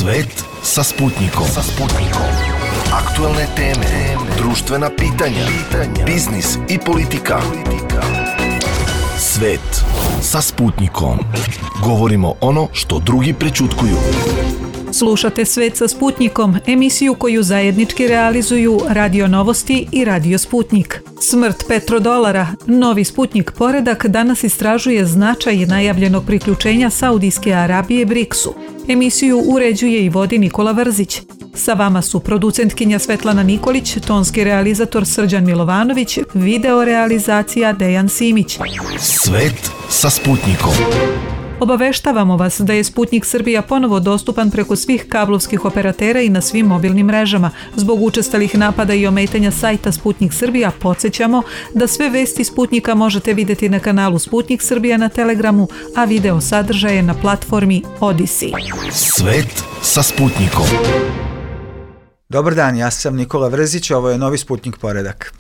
Svet sa Sputnikom. Aktuelne teme, društvena pitanja, biznis i politika. Svet sa Sputnikom. Govorimo ono što drugi prećutkuju. Slušate Svet sa Sputnikom, emisiju koju zajednički realizuju Radio Novosti i Radio Sputnik. Smrt petrodolara, novi Sputnik poredak danas istražuje značaj najavljenog priključenja Saudijske Arabije BRICS-u. Emisiju uređuje i vodi Nikola Vrzić. Sa vama su producentkinja Svetlana Nikolić, tonski realizator Srđan Milovanović, video realizacija Dejan Simić. Svet sa Sputnikom. Obaveštavamo vas da je Sputnik Srbija ponovo dostupan preko svih kablovskih operatera i na svim mobilnim mrežama. Zbog učestalih napada i ometanja sajta Sputnik Srbija podsjećamo da sve vesti Sputnika možete vidjeti na kanalu Sputnik Srbija na Telegramu, a video sadržaje na platformi Odisi. Svet sa Sputnikom. Dobar dan, ja sam Nikola Vrzić, ovo je novi Sputnik poredak.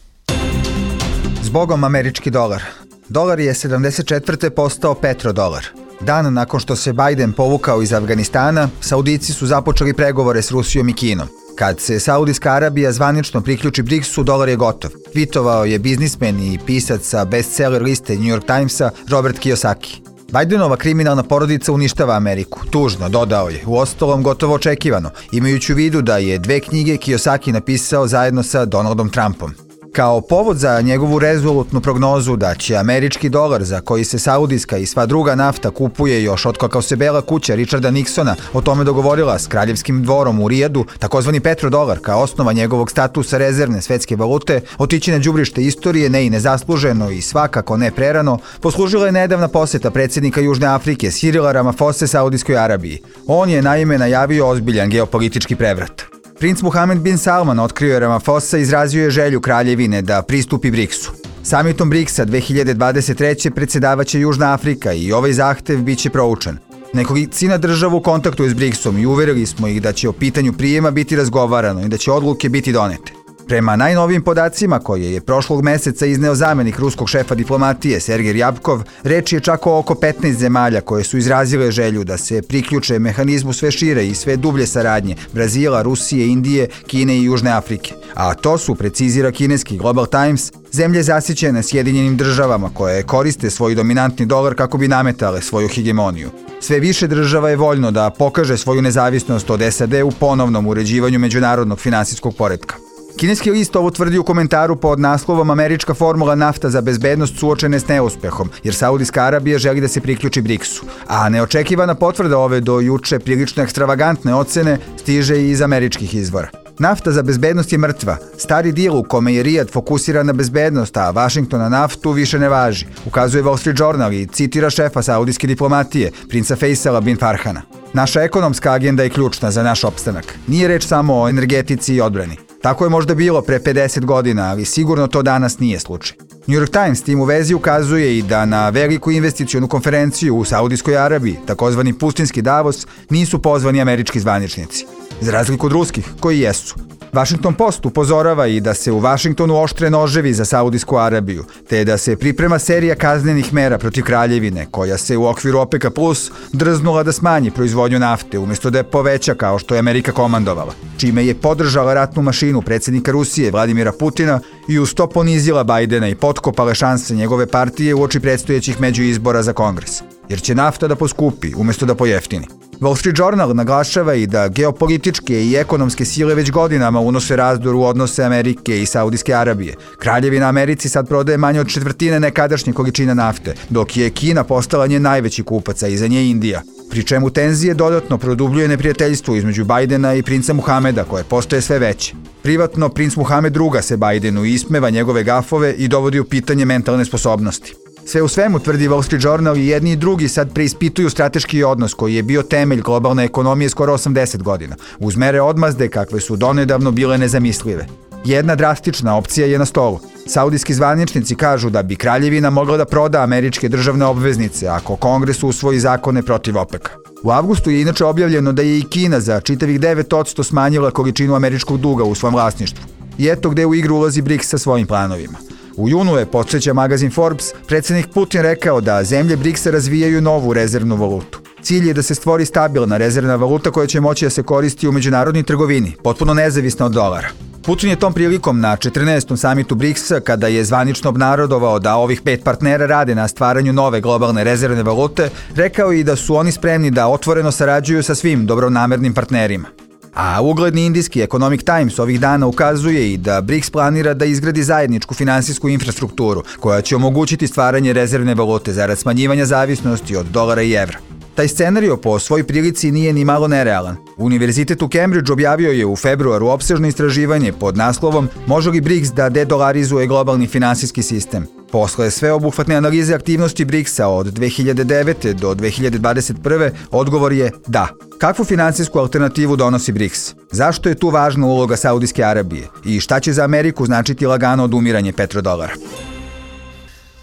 Zbogom američki dolar. Dolar je 74. postao petrodolar. Dan nakon što se Biden povukao iz Afganistana, Saudici su započeli pregovore s Rusijom i Kinom. Kad se Saudijska Arabija zvanično priključi BRICS-u, dolar je gotov. Tvitovao je biznismen i pisac sa bestseller liste New York Timesa Robert Kiyosaki. Bidenova kriminalna porodica uništava Ameriku. Tužno, dodao je, uostalom gotovo očekivano, imajući u vidu da je 2 knjige Kiyosaki napisao zajedno sa Donaldom Trumpom. Kao povod za njegovu rezolutnu prognozu da će američki dolar, za koji se saudijska i sva druga nafta kupuje još otkako se Bela kuća Richarda Nixona o tome dogovorila s kraljevskim dvorom u Rijadu, takozvani petrodolar kao osnova njegovog statusa rezervne svetske valute, otići na đubrište istorije ne i nezasluženo i svakako ne prerano, poslužila je nedavna poseta predsjednika Južne Afrike Cyrila Ramaphosa Saudijskoj Arabiji. On je naime najavio ozbiljan geopolitički prevrat. Princ Mohammed bin Salman otkrio je Ramaphosa i izrazio je želju kraljevine da pristupi BRICS-u. Samitom BRICS-a 2023. predsjedavaće Južna Afrika i ovaj zahtev bit će proučen. Nekolicina država u kontaktu je s BRICS-om i uverili smo ih da će o pitanju prijema biti razgovarano i da će odluke biti donete. Prema najnovijim podacima koje je prošlog meseca izneo zamenik ruskog šefa diplomatije Sergej Ryabkov, reč je čak o oko 15 zemalja koje su izrazile želju da se priključe mehanizmu sve šire i sve dublje saradnje Brazila, Rusije, Indije, Kine i Južne Afrike. A to su, precizira kineski Global Times, zemlje zasićene Sjedinjenim državama koje koriste svoj dominantni dolar kako bi nametale svoju hegemoniju. Sve više država je voljno da pokaže svoju nezavisnost od SAD u ponovnom uređivanju međunarodnog finansijskog poretka. Kineski list ovo tvrdi u komentaru pod naslovom Američka formula nafta za bezbednost suočene s neuspehom, jer Saudijska Arabija želi da se priključi BRICS-u. A neočekivana potvrda ove do juče prilično ekstravagantne ocene stiže i iz američkih izvora. Nafta za bezbednost je mrtva. Stari dil u kome je Rijad fokusiran na bezbednost, a Washington na naftu više ne važi, ukazuje Wall Street Journal i citira šefa saudijske diplomatije, princa Faisala bin Farhana. Naša ekonomska agenda je ključna za naš opstanak. Nije reč samo o energetici i odbrani. Tako je možda bilo pre 50 godina, ali sigurno to danas nije slučaj. New York Times tim u vezi ukazuje i da na veliku investicionu konferenciju u Saudijskoj Arabiji, takozvani pustinski Davos, nisu pozvani američki zvaničnici. Za razliku od ruskih, koji jesu. Washington Post upozorava i da se u Washingtonu oštre noževi za Saudijsku Arabiju, te da se priprema serija kaznenih mera protiv kraljevine, koja se u okviru OPEC-a Plus drznula da smanji proizvodnju nafte, umjesto da je poveća kao što je Amerika komandovala, čime je podržala ratnu mašinu predsjednika Rusije Vladimira Putina i uz to ponizila Bidena i potkopale šanse njegove partije uoči predstojećih međuizbora za Kongres, jer će nafta da poskupi umjesto da pojeftini. Wall Street Journal naglašava i da geopolitičke i ekonomske sile već godinama unose razdor u odnose Amerike i Saudijske Arabije. Kraljevina Americi sad prodaje manje od četvrtine nekadašnje količine nafte, dok je Kina postala njen najveći kupac, a iza nje Indija. Pri čemu tenzije dodatno produbljuje neprijateljstvo između Bidena i princa Muhameda, koje postaje sve veće. Privatno, princ Muhamed ruga se Bidenu i ismeva njegove gafove i dovodi u pitanje mentalne sposobnosti. Sve u svemu, tvrdi Wall Street Journal, i jedni i drugi sad preispituju strateški odnos koji je bio temelj globalne ekonomije skoro 80 godina, uz mere odmazde kakve su donedavno bile nezamislive. Jedna drastična opcija je na stolu. Saudijski zvaničnici kažu da bi kraljevina mogla da proda američke državne obveznice ako Kongres usvoji zakone protiv OPEC-a. U avgustu je inače objavljeno da je i Kina za čitavih 9% smanjila količinu američkog duga u svom vlasništvu. I eto gde u igru ulazi BRICS sa svojim planovima. U junu je, podsjeća magazin Forbes, predsjednik Putin rekao da zemlje BRICS-a razvijaju novu rezervnu valutu. Cilj je da se stvori stabilna rezervna valuta koja će moći da se koristi u međunarodnoj trgovini, potpuno nezavisna od dolara. Putin je tom prilikom na 14. samitu BRICS-a, kada je zvanično obnarodovao da ovih 5 partnera rade na stvaranju nove globalne rezervne valute, rekao i da su oni spremni da otvoreno sarađuju sa svim dobronamernim partnerima. A ugledni indijski Economic Times ovih dana ukazuje i da BRICS planira da izgradi zajedničku finansijsku infrastrukturu koja će omogućiti stvaranje rezervne valute zarad smanjivanja zavisnosti od dolara i evra. Taj scenario po svoj prilici nije ni malo nerealan. Univerzitet u Cambridge objavio je u februaru opsežno istraživanje pod naslovom "Može li BRICS da dedolarizuje globalni finansijski sistem?". Posle sveobuhvatne analize aktivnosti BRICS-a od 2009. do 2021. odgovor je da. Kakvu finansijsku alternativu donosi BRICS? Zašto je tu važna uloga Saudijske Arabije? I šta će za Ameriku značiti lagano odumiranje petrodolara?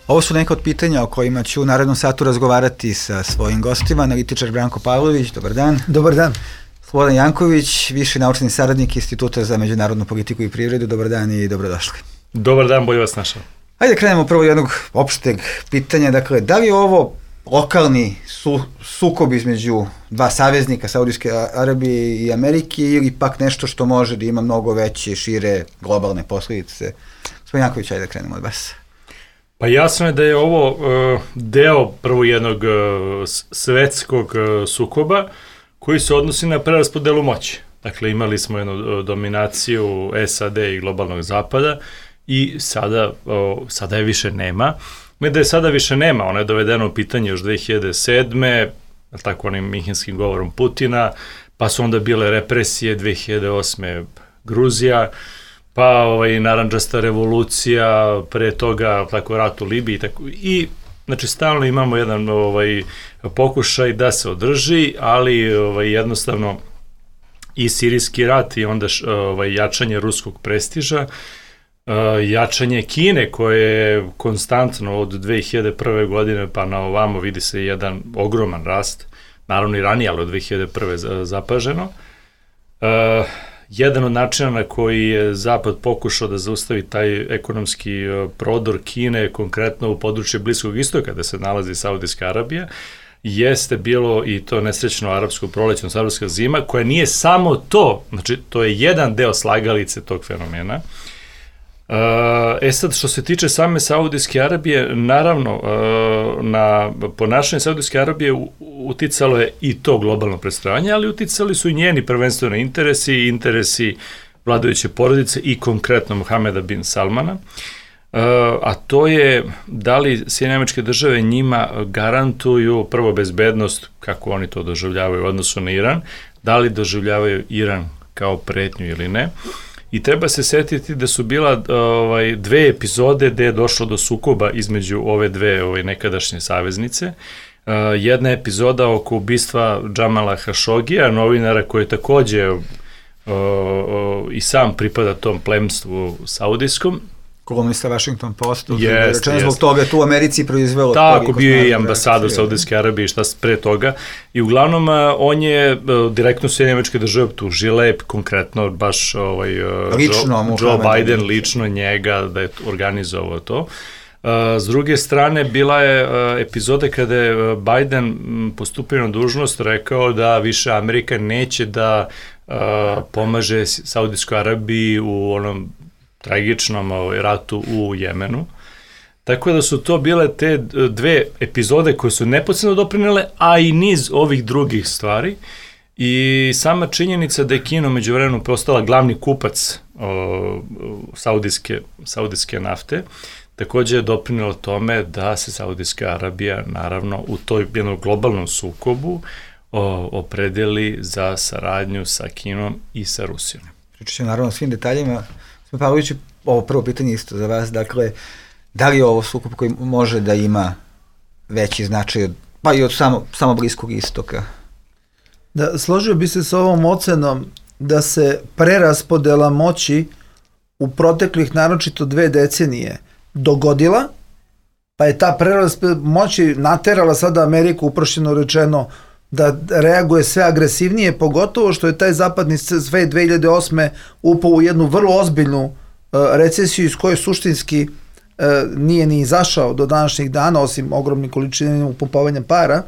Ovo su neka od pitanja o kojima ću u narednom satu razgovarati sa svojim gostima. Analitičar Branko Pavlović, dobar dan. Dobar dan. Slobodan Janković, viši naučni saradnik Instituta za međunarodnu politiku i privredu, dobar dan i dobrodošli. Dobar dan, bolje vas našao. Ajde krenemo prvo jednog opšteg pitanja, dakle, da li je ovo lokalni sukob između dva saveznika, Saudijske Arabije i Amerike, ili pak nešto što može da ima mnogo veće, šire, globalne posljedice? Gospodin Janković, ajde krenemo od vas. Pa jasno je da je ovo deo prvo jednog svetskog sukoba koji se odnosi na preraspodelu moći. Dakle, imali smo jednu dominaciju SAD i globalnog zapada i sada je više nema. Da je sada više nema, ona je dovedena u pitanje još 2007. tako onim minhenskim govorom Putina, pa su onda bile represije 2008. Gruzija, pa narandžasta revolucija, pre toga tako rat u Libiji i znači stalno imamo jedan pokušaj da se održi, ali jednostavno i sirijski rat i onda jačanje ruskog prestiža, jačanje Kine koje je konstantno od 2001. godine pa na ovamo vidi se jedan ogroman rast, naravno i ranije, ali od 2001. zapaženo. Jedan od načina na koji je Zapad pokušao da zaustavi taj ekonomski prodor Kine, konkretno u području Bliskog istoka, gde se nalazi Saudijska Arabija, jeste bilo i to nesrećno arapsko proleće, arapska zima, koja nije samo to, znači to je jedan deo slagalice tog fenomena. Sad, što se tiče same Saudijske Arabije, naravno, na ponašanje Saudijske Arabije uticalo je i to globalno predstavljanje, ali uticali su i njeni prvenstveno interesi vladajuće porodice i konkretno Mohameda bin Salmana, a to je da li Sjedinjene Američke Države njima garantuju prvo bezbednost, kako oni to doživljavaju u odnosu na Iran, da li doživljavaju Iran kao pretnju ili ne. I treba se setiti da su bila dve epizode gde je došlo do sukoba između ove dve nekadašnje saveznice. Jedna epizoda oko ubistva Džamala Hašogija, novinara koji takođe i sam pripada tom plemstvu saudijskom. Kolumnista Washington Postu, rečeno zbog toga tu u Americi proizvelo. Tako, bio je i ambasador Saudijske Arabije i šta pre toga. I uglavnom on je direktno Sjedinjene Američke Države optužile, konkretno baš Joe Biden lično njega da je organizovao to. S druge strane, bila je epizoda kada je Biden postupio na dužnost, rekao da više Amerika neće da pomaže Saudijskoj Arabiji u onom tragičnom ratu u Jemenu. Tako da su to bile te dve epizode koje su neposredno doprinele, a i niz ovih drugih stvari. I sama činjenica da je Kina međuvremenu postala glavni kupac saudijske nafte, takođe je doprinelo tome da se Saudijska Arabija, naravno, u toj jednom globalnom sukobu opredeli za saradnju sa Kinom i sa Rusijom. Pričat ću naravno o svim detaljima. Pavloviću, ovo prvo pitanje isto za vas, dakle, da li je ovo sukob koji može da ima veći značaj, pa i od samo Bliskog istoka? Da, složio bi se s ovom ocenom da se preraspodela moći u proteklih naročito 2 decenije dogodila, pa je ta preraspodela moći naterala sada Ameriku, uprošćeno rečeno, da reaguje sve agresivnije, pogotovo što je taj zapadni svet 2008. upao u jednu vrlo ozbiljnu recesiju iz koje suštinski nije ni izašao do današnjih dana, osim ogromnih količina upumpovanja para.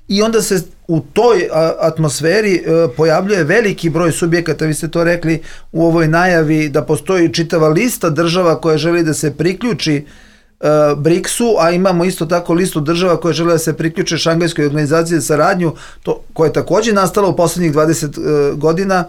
i onda se u toj atmosferi pojavljuje veliki broj subjekata, vi ste to rekli u ovoj najavi, da postoji čitava lista država koja želi da se priključi BRICS-u, a imamo isto tako listu država koje žele da se priključe Šangajskoj organizaciji za saradnju, koja je takođe nastala u poslednjih 20 godina,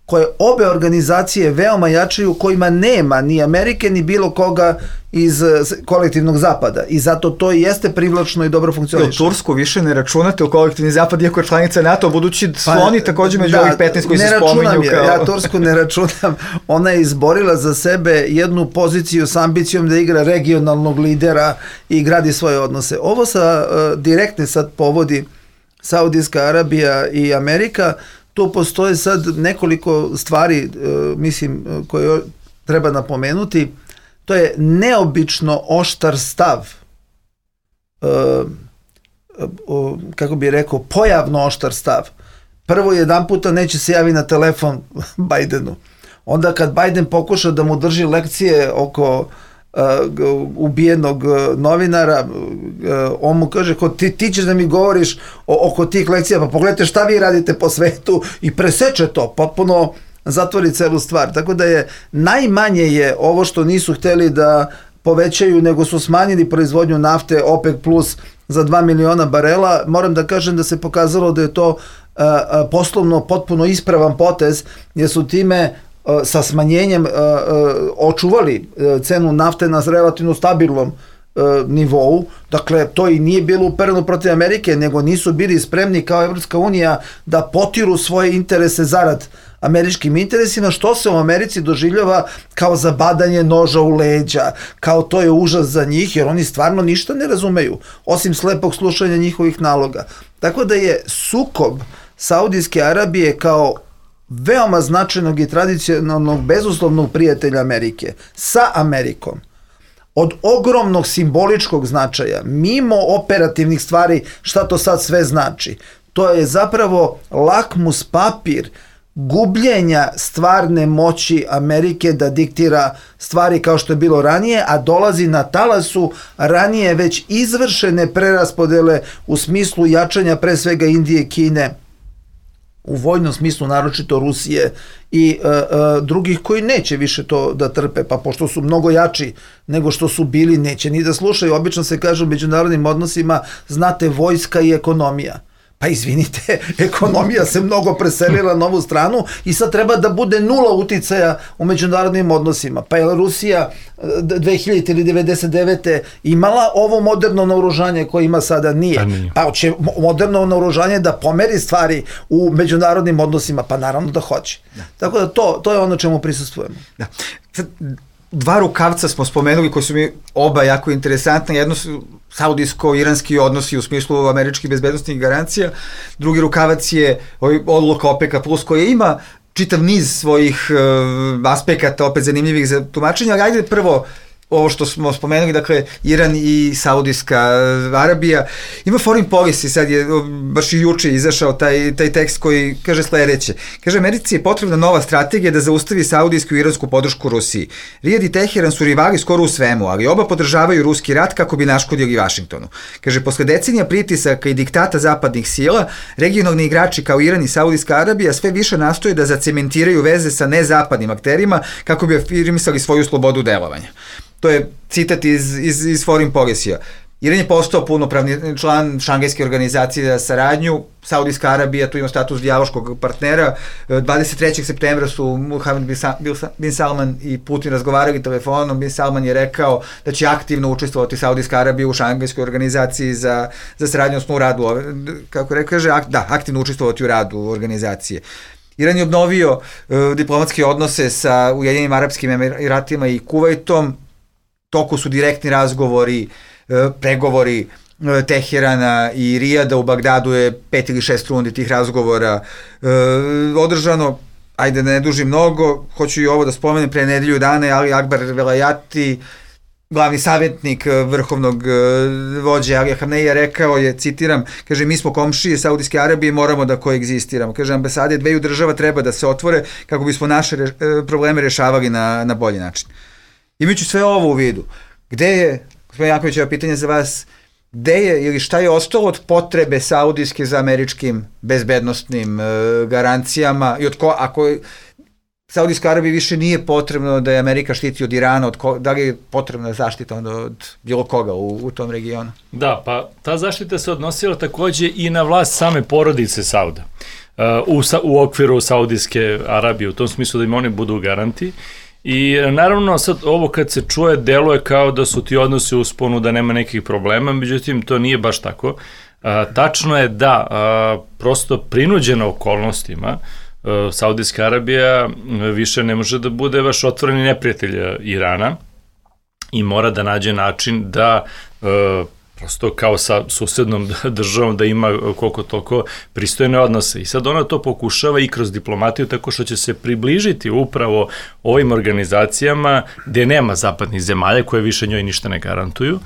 koje obe organizacije veoma jačaju, kojima nema ni Amerike ni bilo koga iz kolektivnog zapada, i zato to i jeste privlačno i dobro funkcioniše. Tursku više ne računate u kolektivni zapad, iako je članica NATO, budući sloni takođe među ovih 15 koji se spominju kao... Ja Tursku ne računam, ona je izborila za sebe jednu poziciju s ambicijom da igra regionalnog lidera i gradi svoje odnose. Ovo direktne sad povodi Saudijska Arabija i Amerika. Tu postoje sad nekoliko stvari, mislim, koje treba napomenuti. To je neobično oštar stav, kako bih rekao, pojavno oštar stav. Prvo, jedan puta neće se javi na telefon Bajdenu. Onda kad Bajden pokuša da mu drži lekcije oko ubijenog novinara, on mu kaže, ti ćeš da mi govoriš oko tih lekcija, pa pogledajte šta vi radite po svetu, i preseče to, potpuno zatvori celu stvar. Tako da je najmanje je ovo što nisu hteli da povećaju, nego su smanjili proizvodnju nafte OPEC plus za 2 miliona barela. Moram da kažem da se pokazalo da je to poslovno potpuno ispravan potez, jer su time sa smanjenjem očuvali cenu nafte na relativno stabilnom nivou. Dakle, to i nije bilo upereno protiv Amerike, nego nisu bili spremni kao Evropska unija da potiru svoje interese zarad američkim interesima, što se u Americi doživljava kao zabadanje noža u leđa, kao to je užas za njih, jer oni stvarno ništa ne razumeju, osim slepog slušanja njihovih naloga. Tako da je sukob Saudijske Arabije kao veoma značajnog i tradicionalnog bezuslovnog prijatelja Amerike sa Amerikom od ogromnog simboličkog značaja, mimo operativnih stvari, šta to sad sve znači. To je zapravo lakmus papir gubljenja stvarne moći Amerike da diktira stvari kao što je bilo ranije, a dolazi na talasu ranije već izvršene preraspodele u smislu jačanja pre svega Indije i Kine, u vojnom smislu naročito Rusije i drugih koji neće više to da trpe, pa pošto su mnogo jači nego što su bili, neće ni da slušaju. Obično se kaže u međunarodnim odnosima, znate, vojska i ekonomija. Pa izvinite, ekonomija se mnogo preselila na ovu stranu i sad treba da bude nula uticaja u međunarodnim odnosima. Pa je Rusija 2000 ili 99. imala ovo moderno naoružanje koje ima sada? Nije. Pa će moderno naoružanje da pomeri stvari u međunarodnim odnosima? Pa naravno da hoće. Tako da to je ono čemu prisustvujemo. Da. Dva rukavca smo spomenuli koji su mi oba jako interesantne. Jedno su saudijsko-iranski odnosi u smislu američkih bezbednostnih garancija. Drugi rukavac je odluka OPEC-a plus, koja ima čitav niz svojih aspekata, opet zanimljivih za tumačenje, ali ajde prvo ovo što smo spomenuli, dakle, Iran i Saudijska Arabija. Ima foreign policy, sad je baš i juče izašao taj tekst koji kaže sledeće. Kaže, Americi je potrebna nova strategija da zaustavi saudijsku i iransku podršku Rusiji. Rijad i Teheran su rivali skoro u svemu, ali oba podržavaju ruski rat kako bi naškodili Vašingtonu. Kaže, posle decenija pritisaka i diktata zapadnih sila, regionalni igrači kao Iran i Saudijska Arabija sve više nastoje da zacementiraju veze sa nezapadnim akterima kako bi afirmisali svoju slobodu delovanja. To je citat iz foreign policy-a. Iran je postao punopravni član Šangajske organizacije za saradnju, Saudijska Arabija tu ima status dijaloškog partnera. 23. septembra su Mohammed bin Salman i Putin razgovarali telefonom. Bin Salman je rekao da će aktivno učestvovati Saudijska Arabija u Šangajskoj organizaciji za saradnju, u radu, kako kaže, aktivno učestvovati u radu organizacije. Iran je obnovio diplomatske odnose sa Ujedinjenim Arapskim Emiratima i Kuvajtom. Toku su direktni razgovori, pregovori Teherana i Rijada. U Bagdadu je 5 ili 6 rundi tih razgovora održano. Ajde da ne duži mnogo, hoću i ovo da spomenem, pre nedelju dana je Ali Akbar Velayati, glavni savjetnik vrhovnog vođe Alija Hamneija, rekao je, citiram, kaže, mi smo komšije Saudijske Arabije, moramo da koegzistiramo. Kaže, ambasade dveju država treba da se otvore kako bismo naše probleme rešavali na bolji način. Imajući sve ovo u vidu, gde je, gospodin Janković, ovo pitanje za vas, gde je ili šta je ostalo od potrebe saudijske za američkim bezbednostnim garancijama i ako Saudijska Arabija više nije potrebno da je Amerika štiti od Irana, da li je potrebna zaštita onda od bilo koga u tom regionu? Da, pa ta zaštita se odnosila takođe i na vlast same porodice Sauda. U okviru Saudijske Arabije, u tom smislu da im oni budu garanti. I naravno sad ovo kad se čuje deluje kao da su ti odnosi u usponu, da nema nekih problema, međutim to nije baš tako. Tačno je da prosto prinuđena okolnostima Saudijska Arabija više ne može da bude baš otvoreni neprijatelj Irana i mora da nađe način da prosto kao sa susednom državom da ima koliko toliko pristojne odnose. I sad ona to pokušava i kroz diplomatiju tako što će se približiti upravo ovim organizacijama gde nema zapadnih zemalja koje više njoj ništa ne garantuju.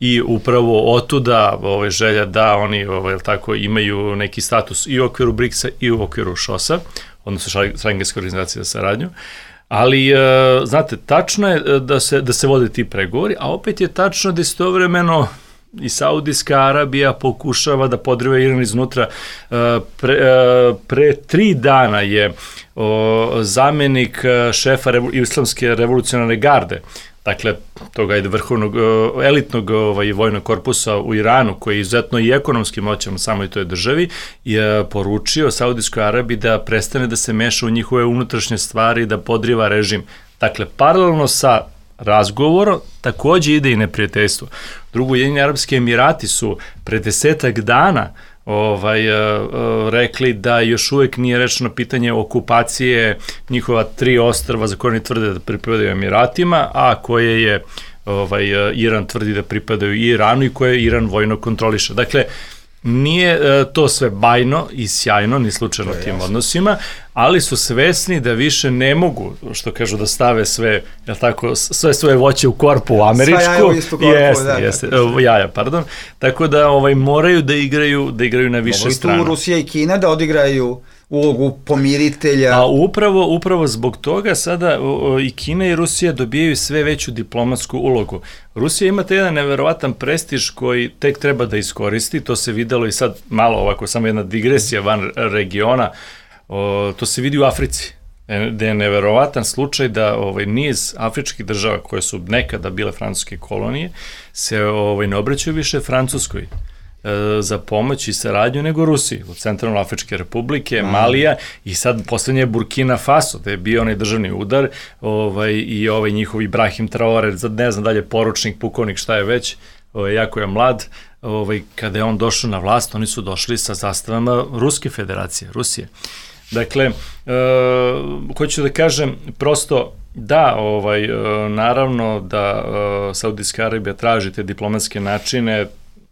I upravo otuda želja da oni tako imaju neki status i u okviru BRICS-a i u okviru ŠOS-a, odnosno Šengenske organizacije za saradnju. Ali, znate, tačno je da se vode ti pregovori, a opet je tačno da istovremeno i Saudijska Arabija pokušava da podriva Iran iznutra. Pre 3 dana je zamenik šefa Islamske revolucionarne garde, dakle, toga je vrhovnog, elitnog vojnog korpusa u Iranu, koji je izuzetno i ekonomski moćan samoj toj državi, je poručio Saudijskoj Arabiji da prestane da se meša u njihove unutrašnje stvari, da podriva režim. Dakle, paralelno sa razgovorom takođe ide i neprijateljstvo. Drugo, Ujedinjeni Arapski Emirati su pre 10 dana rekli da još uvek nije rečeno pitanje okupacije njihova 3 ostrva za koje oni tvrde da pripadaju Emiratima, a koje je Iran tvrdi da pripadaju Iranu i koje Iran vojno kontroliše. Dakle, nije to sve bajno i sjajno, ni slučajno tim odnosima, ali su svesni da više ne mogu, što kažu, da stave sve, jel tako, sve svoje voće u korpu američku. Sva jaja u istu korpu, jaja, pardon. Tako da moraju da igraju na više strana. Mogu tu Rusija i Kina da odigraju ulogu pomiritelja. A upravo zbog toga sada i Kina i Rusija dobijaju sve veću diplomatsku ulogu. Rusija ima taj jedan neverovatan prestiž koji tek treba da iskoristi, to se videlo i sad malo ovako, samo jedna digresija van regiona, to se vidi u Africi, gde je neverovatan slučaj da niz afričkih država koje su nekada bile francuske kolonije se ne obraćaju više Francuskoj za pomoć i saradnju nego Rusiji, od Centralnoafričke republike, Malija i sad poslednje je Burkina Faso, gde je bio onaj državni udar i njihov Ibrahim Traore, ne znam dalje, poručnik, pukovnik, šta je već, jako je mlad, kada je on došao na vlast, oni su došli sa zastavama Ruske federacije, Rusije. Dakle, hoću da kažem, prosto da, naravno da Saudijska Arabija traži te diplomatske načine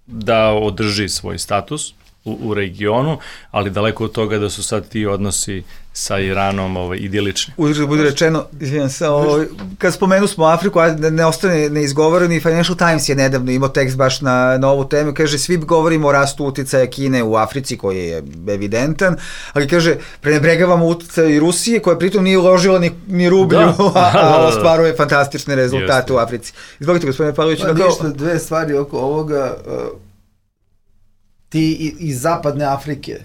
da održi svoj status u regionu, ali daleko od toga da su sad ti odnosi sa Iranom idilični. Uzgled bude rečeno, izvijem se, kad spomenu smo Afriku, a ne ostane neizgovoreni, Financial Times je nedavno imao tekst baš na ovu temu, kaže, svi govorimo o rastu uticaja Kine u Africi, koji je evidentan, ali kaže, prenebregavamo uticaj i Rusije, koja pritom nije uložila ni rublju, a ostvaruje fantastične rezultate u Africi. Izvolite, gospodine Pavlović. Ništa, 2 stvari oko ovoga. Ti iz zapadne Afrike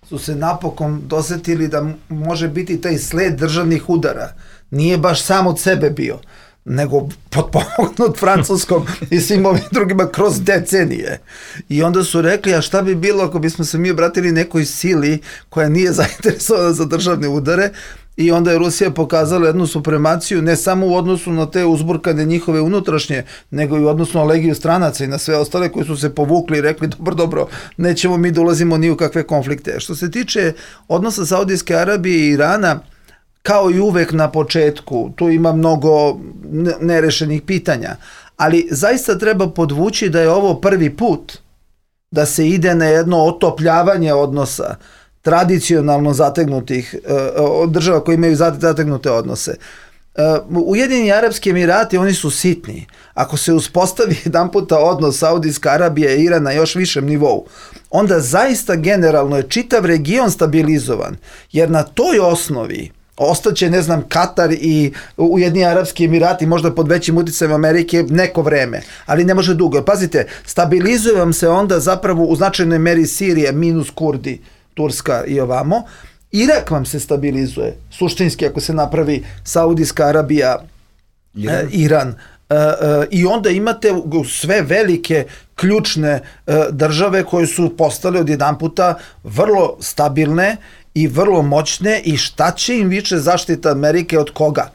su se napokon dosetili da može biti taj sled državnih udara. Nije baš sam od sebe bio, nego potpomognut Francuskom i svim ovim drugima kroz decenije. I onda su rekli, a šta bi bilo ako bismo se mi obratili nekoj sili koja nije zainteresovana za državne udare, i onda je Rusija pokazala jednu supremaciju ne samo u odnosu na te uzburkane njihove unutrašnje, nego i u odnosu na legiju stranaca i na sve ostale koji su se povukli i rekli dobro, nećemo mi da ulazimo ni u kakve konflikte. Što se tiče odnosa Saudijske Arabije i Irana, kao i uvek na početku, tu ima mnogo nerešenih pitanja, ali zaista treba podvući da je ovo prvi put da se ide na jedno otopljavanje odnosa tradicionalno zategnutih država koje imaju zategnute odnose. Ujedinjeni Arapski Emirati, oni su sitni. Ako se uspostavi jedan puta odnos Saudijska Arabija i Iran na još višem nivou, onda zaista generalno je čitav region stabilizovan, jer na toj osnovi Ostaće, ne znam, Katar i Ujedinjeni Arapski Emirati možda pod većim uticajem Amerike neko vreme, ali ne može dugo. Pazite, stabilizuje vam se onda zapravo u značajnoj meri Sirija minus Kurdi, Turska i ovamo. Irak vam se stabilizuje, suštinski ako se napravi Saudijska Arabija, Iran. I onda imate sve velike ključne države koje su postale odjedanputa vrlo stabilne i vrlo moćne i šta će im više zaštita Amerike od koga?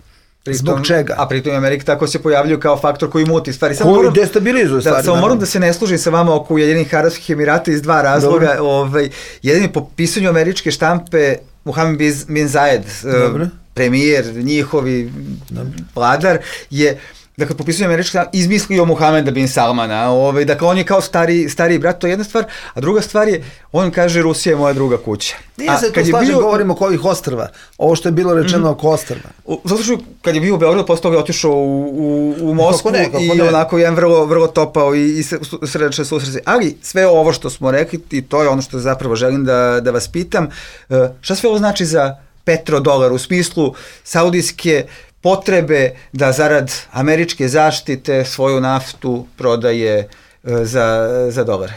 Zbog čega? A pritom Amerika tako se pojavljuju kao faktor koji muti stvari. Koji destabilizuje stvari. Samo moram da se ne služim sa vama oko Ujedinjenih Arapskih Emirata iz dva razloga. Jedan po pisanju američke štampe Mohamed bin Zayed, premijer, njihovi vladar, je dakle, po pisanju američke štampe izmislio Mohameda bin Salmana. Dakle, on je kao stariji brat, to je jedna stvar. A druga stvar je, on kaže Rusija je moja druga kuća. Nije se to slažem, govorimo oko ovih ostrva. Ovo što je bilo rečeno oko ostrva. Zato što kad je bio u Beogradu, posle toga je otišao u Moskvu i onako jedan vrlo topao i srdačan susret. Ali sve ovo što smo rekli, i to je ono što zapravo želim da vas pitam, šta sve ovo znači za petrodolar u smislu saudijske potrebe da zarad američke zaštite svoju naftu prodaje za dolare?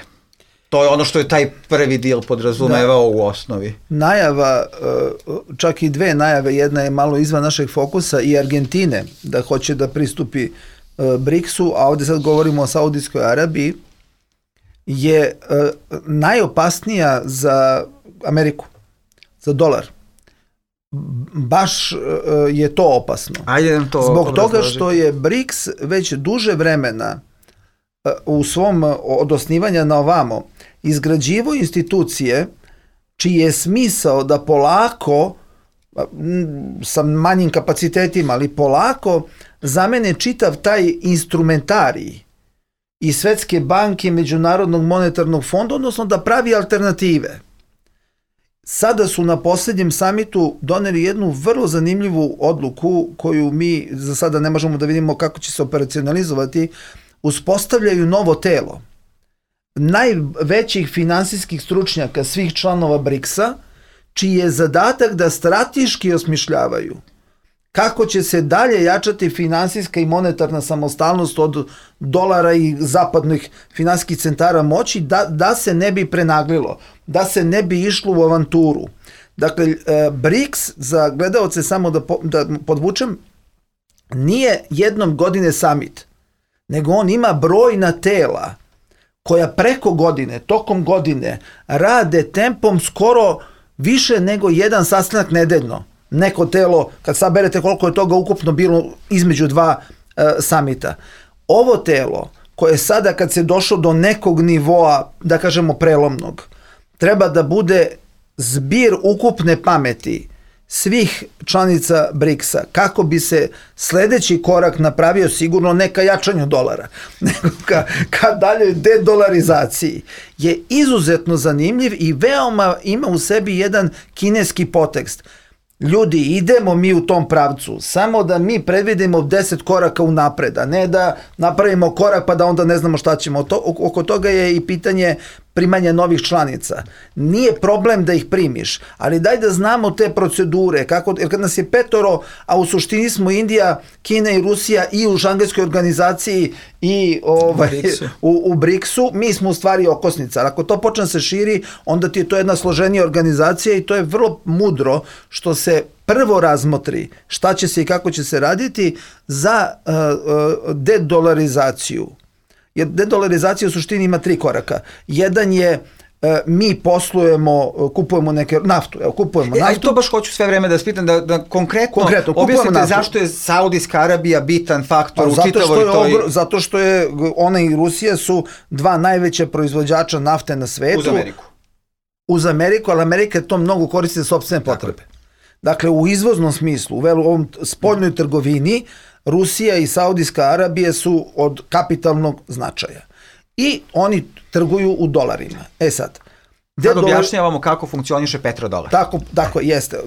To je ono što je taj prvi deal podrazumevao u osnovi. Najava, čak i dve najave, jedna je malo izvan našeg fokusa, i Argentine da hoće da pristupi BRICS-u, a ovdje sad govorimo o Saudijskoj Arabiji, je najopasnija za Ameriku, za dolar. Baš je to opasno. Zbog toga što je BRICS već duže vremena u svom od osnivanja na ovamo izgrađivo institucije čiji je smisao da polako, sa manjim kapacitetima, ali polako zamene čitav taj instrumentarij i Svetske banke, Međunarodnog monetarnog fonda, odnosno da pravi alternative. Sada su na posljednjem samitu doneli jednu vrlo zanimljivu odluku koju mi za sada ne možemo da vidimo kako će se operacionalizovati. Uspostavljaju novo telo najvećih finansijskih stručnjaka svih članova BRICS-a, čiji je zadatak da strateški osmišljavaju kako će se dalje jačati finansijska i monetarna samostalnost od dolara i zapadnih finansijskih centara moći, da se ne bi prenaglilo, da se ne bi išlo u avanturu. Dakle, BRICS, za gledaoce samo da podvučem, nije jednom godine summit, nego on ima brojna tela koja preko godine, tokom godine, rade tempom skoro više nego jedan sastanak nedeljno. Neko telo, kad saberete koliko je toga ukupno bilo između dva samita. Ovo telo, koje sada kad se došlo do nekog nivoa, da kažemo prelomnog, treba da bude zbir ukupne pameti svih članica BRICS-a, kako bi se sljedeći korak napravio, sigurno ne ka jačanju dolara, nego ka daljoj dedolarizaciji, je izuzetno zanimljiv i veoma ima u sebi jedan kineski podtekst. Ljudi, idemo mi u tom pravcu, samo da mi predvidimo 10 koraka unapred, a ne da napravimo korak pa da onda ne znamo šta ćemo. Oko toga je i pitanje primanja novih članica. Nije problem da ih primiš, ali daj da znamo te procedure, jer kad nas je 5, a u suštini smo Indija, Kina i Rusija i u Šangajskoj organizaciji i u BRICS-u, mi smo u stvari okosnica. Ako to počne se širi, onda ti je to jedna složenija organizacija i to je vrlo mudro što se prvo razmotri šta će se i kako će se raditi za dedolarizaciju. Jer dedolarizacija u suštini ima 3 koraka. Jedan je mi poslujemo, kupujemo naftu. Kupujemo naftu. To baš hoću sve vreme da spitam, da konkretno objasnite zašto je Saudijska Arabija bitan faktor u čitavoj toj... Zato što je ona i Rusija su 2 najveća proizvođača nafte na svetu. Uz Ameriku, ali Amerika to mnogo koristi za sopstvene potrebe. Dakle, u izvoznom smislu, u ovom spoljnoj trgovini, Rusija i Saudijska Arabija su od kapitalnog značaja. I oni trguju u dolarima. Sad objašnjavamo kako funkcioniše petrodolar. Tako jeste.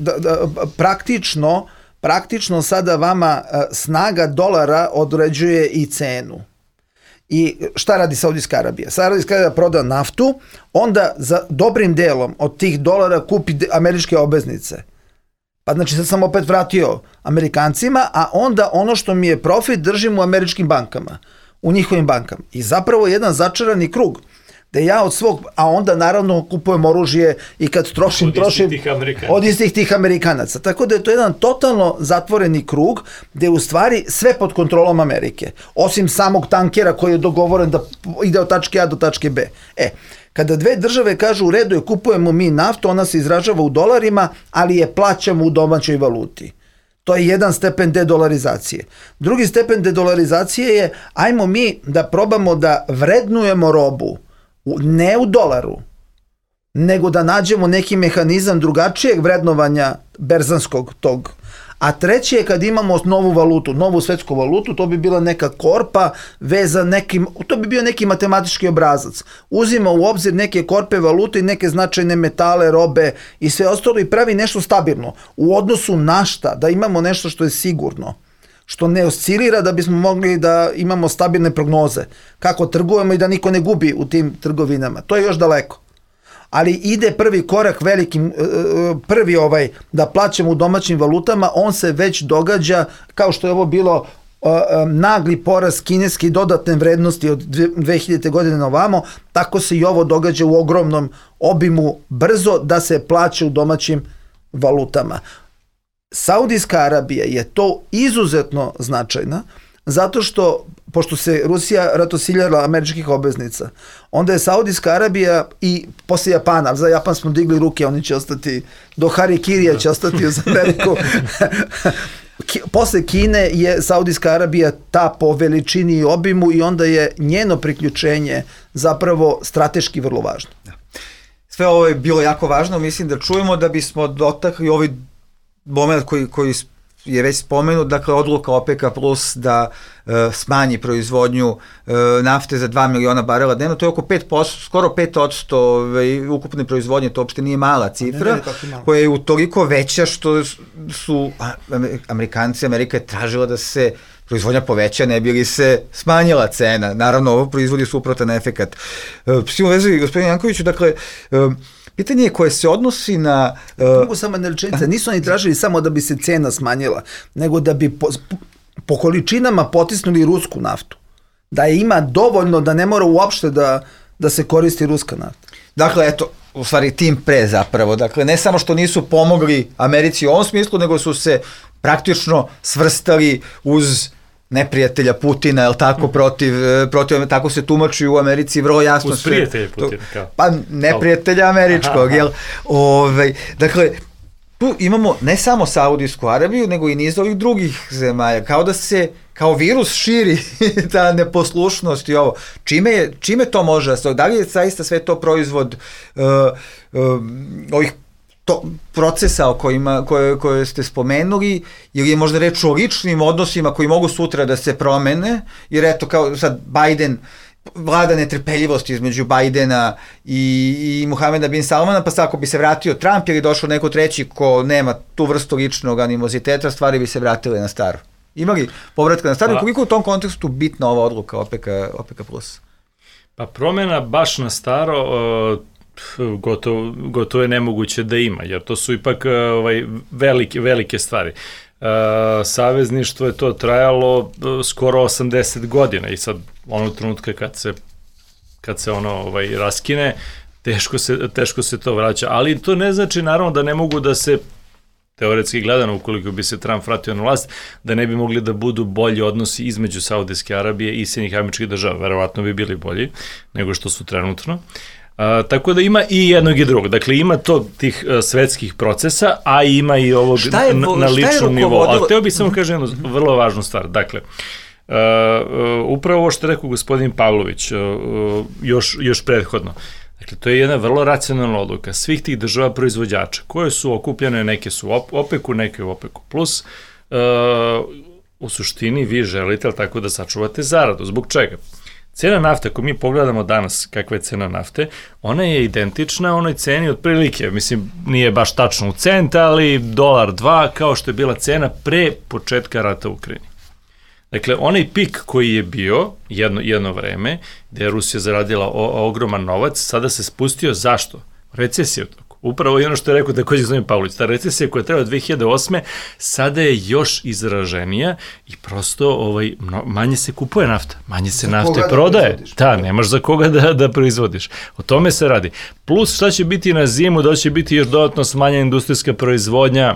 Praktično sada vama snaga dolara određuje i cenu. I šta radi Saudijska Arabija? Saudijska Arabija proda naftu, onda za dobrim delom od tih dolara kupi američke obveznice. Pa znači sad sam opet vratio Amerikancima, a onda ono što mi je profit držim u američkim bankama, u njihovim bankama. I zapravo jedan začarani krug, da ja od svog, a onda naravno kupujem oružje i kad trošim od istih tih Amerikanaca. Tako da je to jedan totalno zatvoreni krug gde je u stvari sve pod kontrolom Amerike. Osim samog tankera koji je dogovoren da ide od tačke A do tačke B. Kada dve države kažu u redu je kupujemo mi naftu, ona se izražava u dolarima, ali je plaćamo u domaćoj valuti. To je jedan stepen dedolarizacije. Drugi stepen dedolarizacije je ajmo mi da probamo da vrednujemo robu ne u dolaru, nego da nađemo neki mehanizam drugačijeg vrednovanja berzanskog tog. A treće je kad imamo novu valutu, novu svetsku valutu, to bi bila neka korpa vezan nekim, to bi bio neki matematički obrazac. Uzima u obzir neke korpe valute i neke značajne metale, robe i sve ostalo i pravi nešto stabilno. U odnosu na šta? Da imamo nešto što je sigurno, što ne oscilira da bismo mogli da imamo stabilne prognoze. Kako trgujemo i da niko ne gubi u tim trgovinama. To je još daleko. Ali ide prvi korak velikim, da plaćamo u domaćim valutama, on se već događa, kao što je ovo bilo nagli porast kineske dodatne vrednosti od 2000. godine na ovamo, tako se i ovo događa u ogromnom obimu brzo da se plaća u domaćim valutama. Saudijska Arabija je to izuzetno značajna, zato što, pošto se Rusija ratosiljala američkih obveznica, onda je Saudijska Arabija i posle Japana, za Japan smo digli ruke, oni će ostati, do Harikirija će ostati uz Ameriku. Posle Kine je Saudijska Arabija ta po veličini i obimu i onda je njeno priključenje zapravo strateški vrlo važno. Sve ovo je bilo jako važno, mislim da čujemo da bismo dotakli ovaj moment koji je već spomenut, dakle odluka OPEC-a plus da smanji proizvodnju nafte za 2 miliona barela dnevno, to je oko 5%, skoro 5% ukupne proizvodnje, to uopšte nije mala cifra, koja je utoliko veća što su Amerika je tražila da se proizvodnja poveća, ne bi li se smanjila cena. Naravno, ovo proizvodi suprotan efekat. S tim u vezi, gospodin Jankoviću, dakle, pitanje je koje se odnosi na... Mogu samo jedna rečenica, nisu oni tražili samo da bi se cena smanjila, nego da bi po količinama potisnuli rusku naftu. Da je ima dovoljno da ne mora uopšte da se koristi ruska nafta. Dakle, eto, u stvari tim pre zapravo. Dakle, ne samo što nisu pomogli Americi u ovom smislu, nego su se praktično svrstali uz neprijatelja Putina, je li tako, protiv, tako se tumači u Americi vrlo jasno. Uz prijatelja Putina, kao. Pa neprijatelja američkog, jel? Dakle, tu imamo ne samo Saudijsku Arabiju, nego i niz ovih drugih zemalja, kao da se, kao virus širi ta neposlušnost i ovo. Čime to može? Da li je zaista sve to proizvod ovih procesa koje ste spomenuli, ili je možda reč o ličnim odnosima koji mogu sutra da se promene, jer eto kao sad Biden, vlada netrpeljivost između Bidena i Muhameda bin Salmana, pa sad ako bi se vratio Trump ili došao neko treći ko nema tu vrstu ličnog animoziteta, stvari bi se vratile na staro. Ima li povratka na staro i koliko u tom kontekstu bitna ova odluka OPEC+? Pa promjena baš na staro gotovo je nemoguće da ima, jer to su ipak velike stvari. Savezništvo je to trajalo skoro 80 godina i sad onog trenutka kad se ono raskine, teško se to vraća, ali to ne znači naravno da ne mogu da se, teoretski gledano, ukoliko bi se Trump vratio na vlast, da ne bi mogli da budu bolji odnosi između Saudijske Arabije i Sjedinjenih Američkih Država. Verovatno bi bili bolji nego što su trenutno. Tako da ima i jednog i drugog. Dakle, ima to tih svetskih procesa, a ima i ovog na ličnom nivou. Ali hteo bih samo kažem jednu vrlo važnu stvar. Dakle, upravo ovo što je rekao gospodin Pavlović još prethodno. Dakle, to je jedna vrlo racionalna odluka svih tih država proizvođača, koje su okupljene, neke su u OPEC-u, neke u OPEC-u plus. U suštini vi želite, ali tako da sačuvate zaradu. Zbog čega? Cena nafte, ako mi pogledamo danas kakva je cena nafte, ona je identična onoj ceni otprilike, mislim, nije baš tačno u cent, ali $1-2 kao što je bila cena pre početka rata u Ukrajini. Dakle, onaj pik koji je bio jedno vreme, gde je Rusija zaradila ogroman novac, sada se spustio. Zašto? Recesija u toku. Upravo i ono što je rekao takođe Zoran Pavlović, ta recesija koja treba 2008. sada je još izraženija i prosto manje se kupuje nafta, manje se nafte prodaje. Nemaš za koga da proizvodiš. O tome se radi. Plus šta će biti na zimu, da će biti još dodatno smanjena industrijska proizvodnja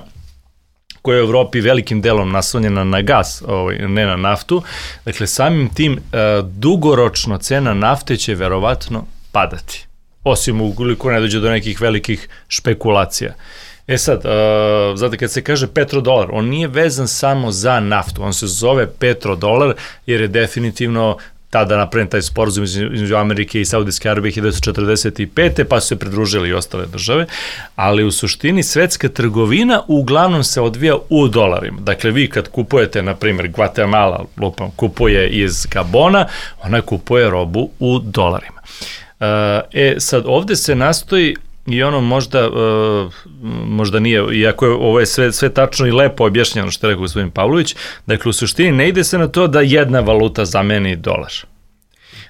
koja je u Evropi velikim delom naslonjena na gas, ne na naftu. Dakle, samim tim dugoročno cena nafte će verovatno padati. Osim ukoliko ne dođe do nekih velikih špekulacija. Sad, znate, kad se kaže petrodolar, on nije vezan samo za naftu, on se zove petrodolar jer je definitivno tada napravljen taj sporazum između Amerike i Saudijske Arabije 1945. pa su se pridružili i ostale države, ali u suštini svetska trgovina uglavnom se odvija u dolarima. Dakle, vi kad kupujete, na primjer, Guatemala kupuje iz Gabona, ona kupuje robu u dolarima. Sad, ovde se nastoji i ono možda nije, iako je ovo je sve tačno i lepo objašnjeno što je rekao gospodin Pavlović, dakle u suštini ne ide se na to da jedna valuta zameni dolar.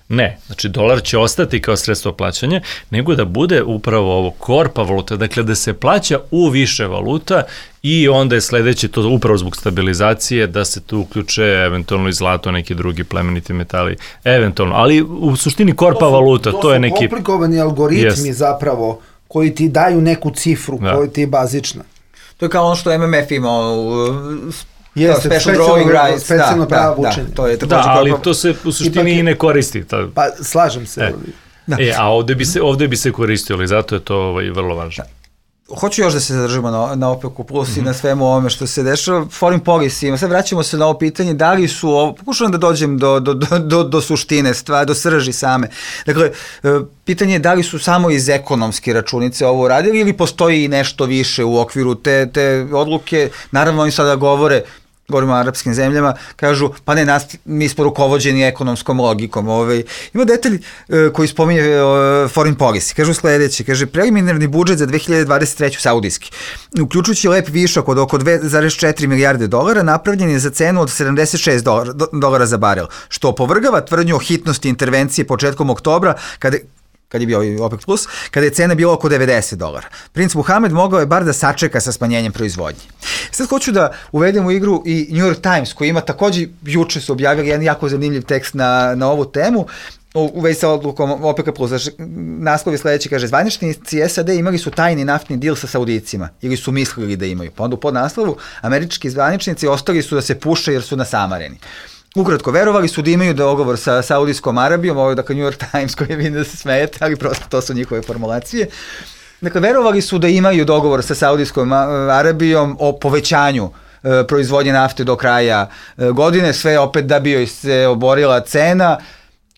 Ne, znači dolar će ostati kao sredstvo plaćanja, nego da bude upravo ovo korpa valuta, dakle da se plaća u više valuta i onda je sledeće to upravo zbog stabilizacije da se tu uključe eventualno i zlato, neki drugi plemeniti metali, eventualno, ali u suštini korpa valuta, to je neki... To su komplikovani algoritmi zapravo koji ti daju neku cifru koja ti je bazična. To je kao ono što MMF imao specijalno pravo učenje. Ali to se u suštini i ne koristi. Pa slažem se. A ovde bi se koristilo i zato je to vrlo važno. Hoću još da se zadržimo na OPEC-u plus i na svemu ovome što se dešava. Foreign policy, sad vraćamo se na ovo pitanje, da li su, pokušavam da dođem do suštine stvari, do srži same. Dakle, pitanje je da li su samo iz ekonomske računice ovo uradili ili postoji nešto više u okviru te odluke. Naravno, oni sada govorimo o arapskim zemljama, kažu, pa ne, mi smo rukovođeni ekonomskom logikom. Ima detalj koji spominje foreign policy. Kažu sledeće, kaže, preliminarni budžet za 2023. saudijski, uključujući lep višak od oko 2,4 milijarde dolara, napravljen je za cenu od $76 za barel, što opovrgava tvrdnju o hitnosti intervencije početkom oktobra, kad je bio OPEC+, kada je cena bila oko $90. Princ Muhamed mogao je bar da sačeka sa smanjenjem proizvodnje. Sad hoću da uvedem u igru i New York Times, koji ima takođe, juče su objavili jedan jako zanimljiv tekst na ovu temu, u vezi sa odlukom OPEC+. Naslov je sledeći, kaže, zvaničnici SAD imali su tajni naftni dil sa Saudijcima, ili su mislili da imaju. Pa onda u podnaslovu, američki zvaničnici ostali su da se puše jer su nasamareni. Ukratko, verovali su da imaju dogovor sa Saudijskom Arabijom, ovo je dakle New York Times koji vidim da se smejete, ali prosto to su njihove formulacije. Dakle, verovali su da imaju dogovor sa Saudijskom Arabijom o povećanju proizvodnje nafte do kraja godine, sve opet da bi joj se oborila cena.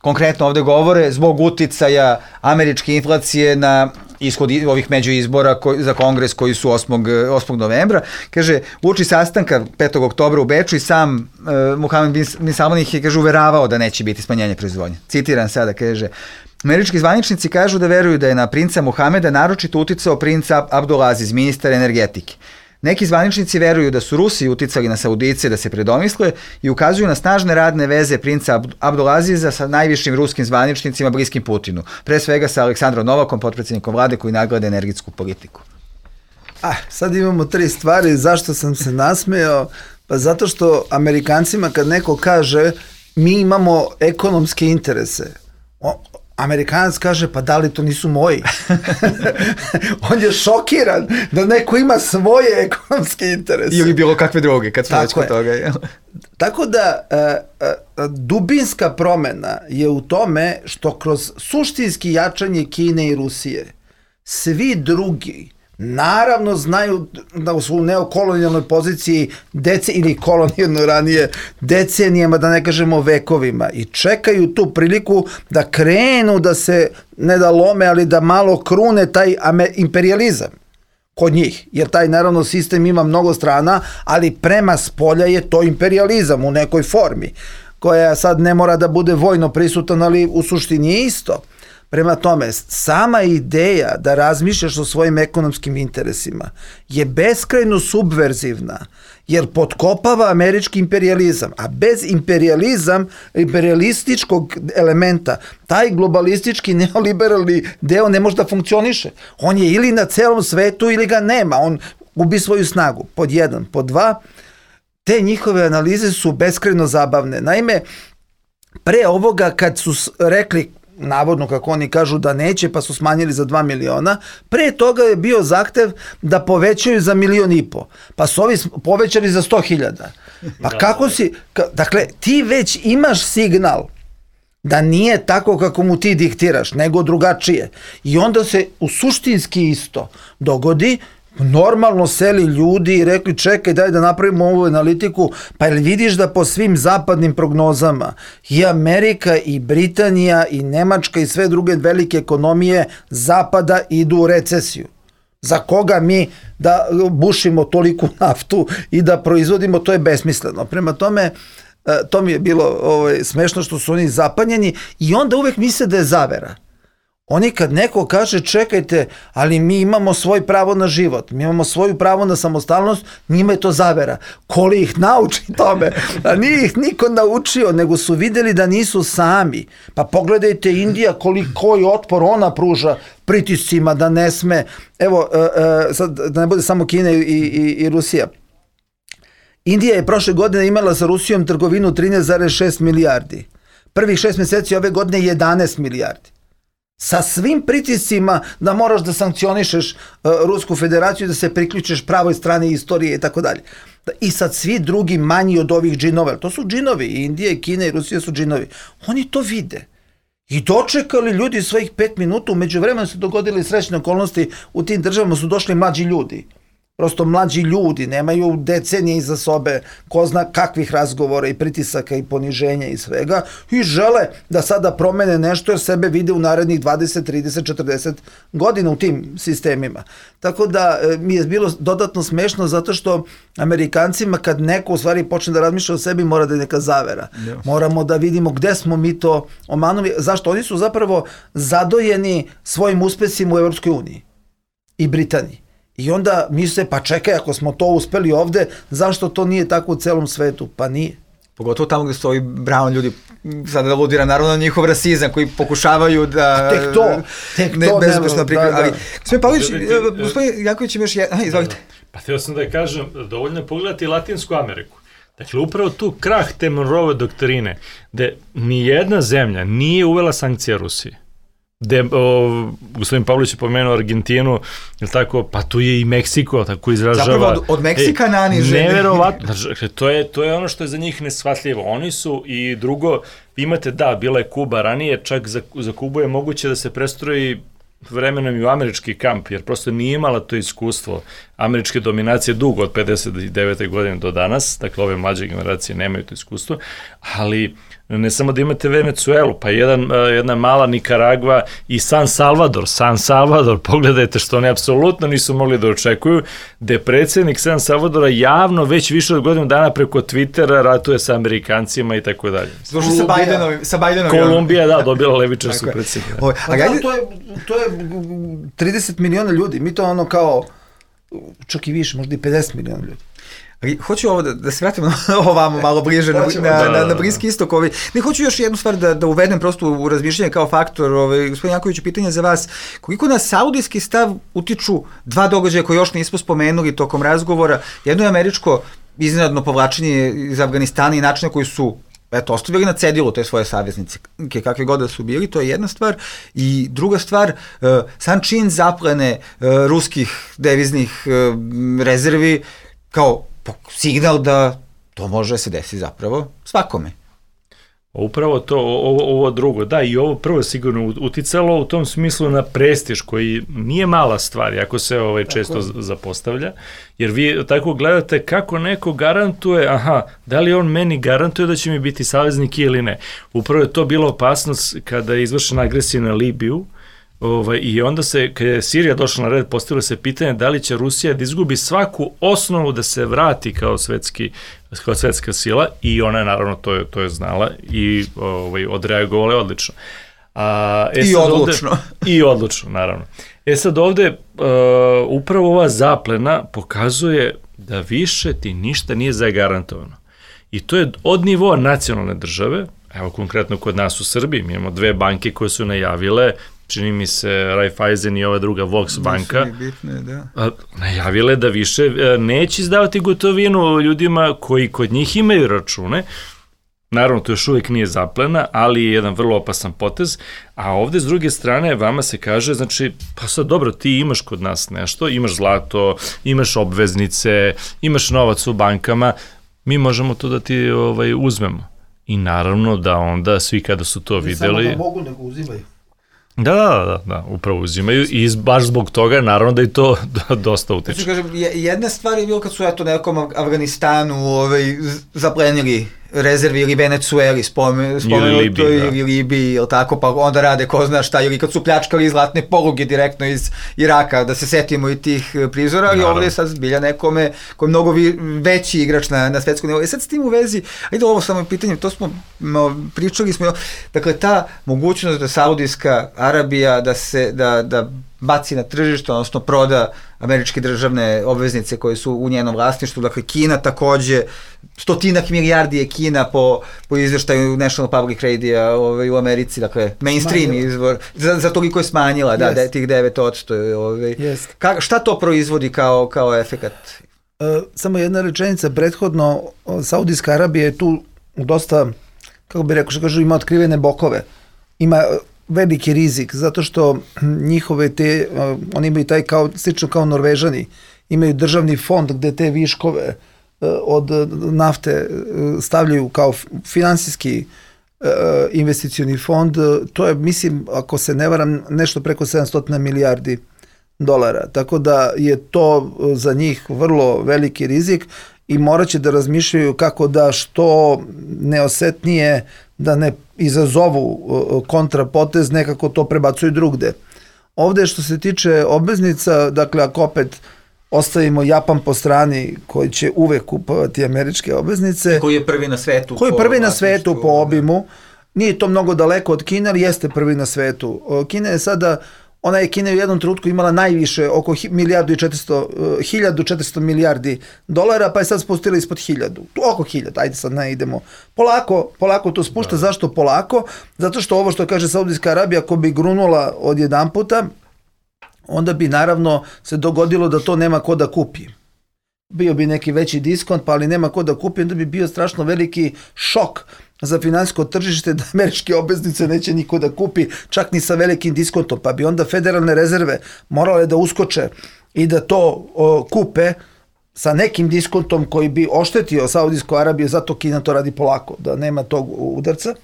Konkretno ovde govore zbog uticaja američke inflacije na ishod ovih međuizbora za kongres koji su 8. novembra. Kaže, uoči sastanka 5. oktobra u Beču i sam Mohamed bin Salman ih je, kaže, uveravao da neće biti smanjenje proizvodnje. Citiram sada, kaže, američki zvaničnici kažu da veruju da je na princa Mohameda naročito uticao princ Abdulaziz, ministar energetike. Neki zvaničnici veruju da su Rusi uticali na Saudice da se predomisle i ukazuju na snažne radne veze princa Abdulaziza sa najvišim ruskim zvaničnicima bliskim Putinu. Pre svega sa Aleksandrom Novakom, potpredsjednikom vlade koji nagleda energetsku politiku. Sad imamo 3 stvari. Zašto sam se nasmejao? Pa zato što Amerikancima kad neko kaže mi imamo ekonomske interese, Amerikanac kaže, pa da li to nisu moji? On je šokiran da neko ima svoje ekonomske interese. Ili bilo kakve druge, kad smo već kod toga. Tako da, dubinska promena je u tome što kroz suštinski jačanje Kine i Rusije, svi drugi naravno znaju da su u neokolonijalnoj poziciji ili kolonijalno ranije decenijama, da ne kažemo vekovima, i čekaju tu priliku da krenu da se, ne da lome, ali da malo krune taj imperializam kod njih, jer taj naravno sistem ima mnogo strana, ali prema spolja je to imperializam u nekoj formi, koja sad ne mora da bude vojno prisutan, ali u suštini je isto. Prema tome, sama ideja da razmišljaš o svojim ekonomskim interesima je beskrajno subverzivna, jer potkopava američki imperijalizam, a bez imperijalističkog elementa, taj globalistički neoliberalni deo ne može da funkcioniše. On je ili na celom svetu ili ga nema, on gubi svoju snagu, pod 1. Pod 2, te njihove analize su beskrajno zabavne. Naime, pre ovoga kad su rekli, navodno kako oni kažu da neće, pa su smanjili za 2 miliona, pre toga je bio zahtev da povećaju za 1,5 miliona, pa su ovi povećali za 100.000. Pa kako si, dakle, ti već imaš signal da nije tako kako mu ti diktiraš, nego drugačije. I onda se u suštinski isto dogodi, normalno seli ljudi i rekli čekaj daj da napravimo ovu analitiku, pa jel vidiš da po svim zapadnim prognozama i Amerika i Britanija i Nemačka i sve druge velike ekonomije zapada idu u recesiju. Za koga mi da bušimo toliku naftu i da proizvodimo, to je besmisleno. Prema tome, to mi je bilo smešno što su oni zapanjeni i onda uvek misle da je zavera. Oni kad neko kaže čekajte, ali mi imamo svoj pravo na život, mi imamo svoju pravo na samostalnost, njima je to zavera. Ko li ih nauči tome? A nije ih niko naučio, nego su videli da nisu sami. Pa pogledajte Indija, koji otpor ona pruža pritiscima da ne sme. Evo, sad da ne bude samo Kina i Rusija. Indija je prošle godine imala sa Rusijom trgovinu 13,6 milijardi. Prvih 6 meseci ove godine 11 milijardi. Sa svim pritiscima da moraš da sankcionišeš Rusku federaciju, da se priključiš pravoj strani istorije i tako dalje. I sad svi drugi manji od ovih džinova, to su džinovi, i Indija, i Kina, i Rusija su džinovi. Oni to vide. I dočekali ljudi svojih 5 minuta, umeđu vremenu se dogodili srećne okolnosti, u tim državama su došli mlađi ljudi. Prosto mlađi ljudi, nemaju decenije iza sobe, ko zna kakvih razgovora i pritisaka i poniženja i svega, i žele da sada promene nešto jer sebe vide u narednih 20, 30, 40 godina u tim sistemima. Tako da mi je bilo dodatno smešno zato što Amerikancima kad neko u stvari počne da razmišlja o sebi mora da je neka zavera. Moramo da vidimo gde smo mi to omanuli. Zašto? Oni su zapravo zadojeni svojim uspesima u Evropskoj uniji i Britaniji. I onda misle, pa čekaj, ako smo to uspeli ovde, zašto to nije tako u celom svetu? Pa nije. Pogotovo tamo gde su ovi brown ljudi, sada da ludira naravno njihov rasizam, koji pokušavaju da... Tek to bezbešno prikriva. Ali, gospodin Pavlović, gospodin Janković ima još jedan... Izvolite. Pa htio sam da kažem, dovoljno je pogledati Latinsku Ameriku. Dakle, upravo tu krah te Monroeve doktrine, gde nijedna zemlja nije uvela sankcije Rusiji. Gospodin Pavlović je pomenuo Argentinu, je tako, pa tu je i Meksiko, tako izražava. Zapravo od Meksika naniže. Neverovatno, to je ono što je za njih neshvatljivo. Oni su, i drugo, imate, da, bila je Kuba ranije, čak za Kubu je moguće da se prestroji vremenom i u američki kamp, jer prosto nije imala to iskustvo američke dominacije dugo od 59. godine do danas, dakle ove mlađe generacije nemaju to iskustvo, ali ne samo da imate Venecuelu, pa jedna mala Nikaragva i San Salvador, pogledajte što oni apsolutno nisu mogli da očekuju, gde predsjednik San Salvadora javno već više od godinu dana preko Twittera ratuje sa Amerikancima i tako dalje. Slušaj sa Bajdenom. Kolumbija, da, dobila levičarsku predsjednika. To je 30 miliona ljudi, mi to ono kao, čak i više, možda i 50 miliona ljudi. Hoću ovo da se vratimo ovamo malo bliže na Bliski istok. Ne, hoću još jednu stvar da uvedem prosto u razmišljanje kao faktor. Gospodin Jankoviću, pitanje za vas. Koliko na saudijski stav utiču dva događaja koje još nismo spomenuli tokom razgovora? Jedno je američko iznenadno povlačenje iz Afganistana i načina koji su ostavili na cedilu te svoje saveznice, kakve god da su bili, to je jedna stvar. I druga stvar, sam čin zaplene ruskih deviznih rezervi kao signal da to može se desiti zapravo svakome. Upravo to, ovo drugo, da, i ovo prvo sigurno uticalo u tom smislu na prestiž, koji nije mala stvar, ako se često zapostavlja, jer vi tako gledate kako neko garantuje, da li on meni garantuje da će mi biti saveznik ili ne. Upravo je to bila opasnost kada je izvršena agresija na Libiju, i onda se, kada je Sirija došla na red, postavilo se pitanje da li će Rusija da izgubi svaku osnovu da se vrati kao svetska sila, i ona je naravno to je znala i odreagovala je odlično. I odlučno. I odlučno, naravno. Sad ovde upravo ova zaplena pokazuje da više ti ništa nije zagarantovano. I to je od nivoa nacionalne države, evo konkretno kod nas u Srbiji, mi imamo 2 banke koje su najavile, čini mi se Raiffeisen i ova druga Vox banka, bitne, da. Najavile da više neće izdavati gotovinu ljudima koji kod njih imaju račune. Naravno, to još uvijek nije zaplena, ali je jedan vrlo opasan potez, a ovde s druge strane vama se kaže, znači, pa sad dobro, ti imaš kod nas nešto, imaš zlato, imaš obveznice, imaš novac u bankama, mi možemo to da ti uzmemo. I naravno da onda svi kada su to videli... Ne samo da mogu, nego uzimaju. Da, upravo uzimaju i baš zbog toga naravno da i to dosta utiče. Znači, kažem, jedna stvar je bilo kad su nekom Afganistanu zaplenili rezervi ili Venecueli spomenuto ili Libiji ili tako, pa onda rade ko zna šta, ili kad su pljačkali zlatne poluge direktno iz Iraka, da se setimo i tih prizora, ali ovdje je sad zbilja nekome koji je mnogo veći igrač na svetskom nivou. Sad s tim u vezi, ajde ovo samo pitanje, to smo pričali smo, dakle ta mogućnost da Saudijska Arabija da baci na tržište, odnosno proda američke državne obveznice koje su u njenom vlasništvu, dakle Kina takođe, 100 milijardi je Kina po izveštaju National Public Radio u Americi, dakle mainstream izvor, za toliko je smanjila, da, tih 9%. Šta to proizvodi kao efekat? Samo jedna rečenica, prethodno Saudijska Arabija je tu dosta, kako bih rekao, što kažu, ima otkrivene bokove, ima veliki rizik, zato što njihove oni imaju taj slično kao Norvežani, imaju državni fond gde te viškove od nafte stavljaju kao finansijski investicioni fond, to je, mislim, ako se ne varam, nešto preko 700 milijardi dolara, tako da je to za njih vrlo veliki rizik i morat će da razmišljaju kako da što neosetnije da ne izazovu kontrapotez, nekako to prebacuju drugde. Ovde što se tiče obveznica, dakle ako opet ostavimo Japan po strani koji će uvek kupovati američke obveznice. Koji je prvi na svetu. Koji je prvi na svetu po obimu. Nije to mnogo daleko od Kine, ali jeste prvi na svetu. Kina je sada, ona je Kina u jednom trenutku imala najviše, oko 1400 milijardi dolara, pa je sad spustila ispod 1000. Oko 1000, ajde sad ne idemo. Polako to spušta. Zašto polako? Zato što ovo što kaže Saudijska Arabija, ako bi grunula od jedan puta, onda bi naravno se dogodilo da to nema ko da kupi. Bio bi neki veći diskont, pa ali nema ko da kupi, onda bi bio strašno veliki šok za finansijsko tržište da američke obveznice neće niko da kupi, čak ni sa velikim diskontom, pa bi onda federalne rezerve morale da uskoče i da to kupe sa nekim diskontom koji bi oštetio Saudijsku Arabiju, zato Kina to radi polako, da nema tog udarca.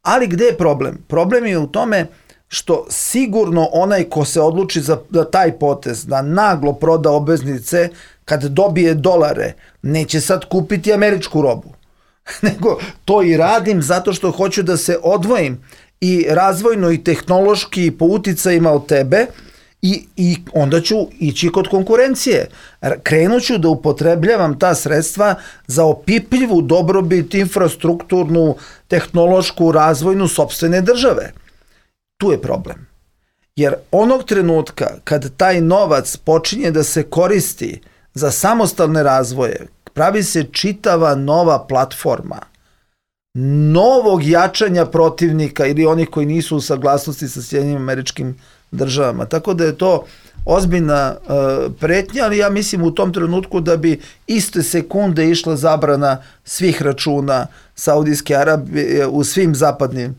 Ali gde je problem? Problem je u tome što sigurno onaj ko se odluči za taj potez, da naglo proda obveznice, kad dobije dolare, neće sad kupiti američku robu. Nego to i radim zato što hoću da se odvojim i razvojno i tehnološki po uticajima od tebe i onda ću ići kod konkurencije. Krenut ću da upotrebljavam ta sredstva za opipljivu dobrobit, infrastrukturnu, tehnološku, razvojnu sopstvene države. Tu je problem. Jer onog trenutka kad taj novac počinje da se koristi za samostalne razvoje, pravi se čitava nova platforma novog jačanja protivnika ili onih koji nisu u saglasnosti sa Sjedinjenim Američkim Državama. Tako da je to ozbiljna pretnja, ali ja mislim u tom trenutku da bi iste sekunde išla zabrana svih računa Saudijske Arabije u svim zapadnim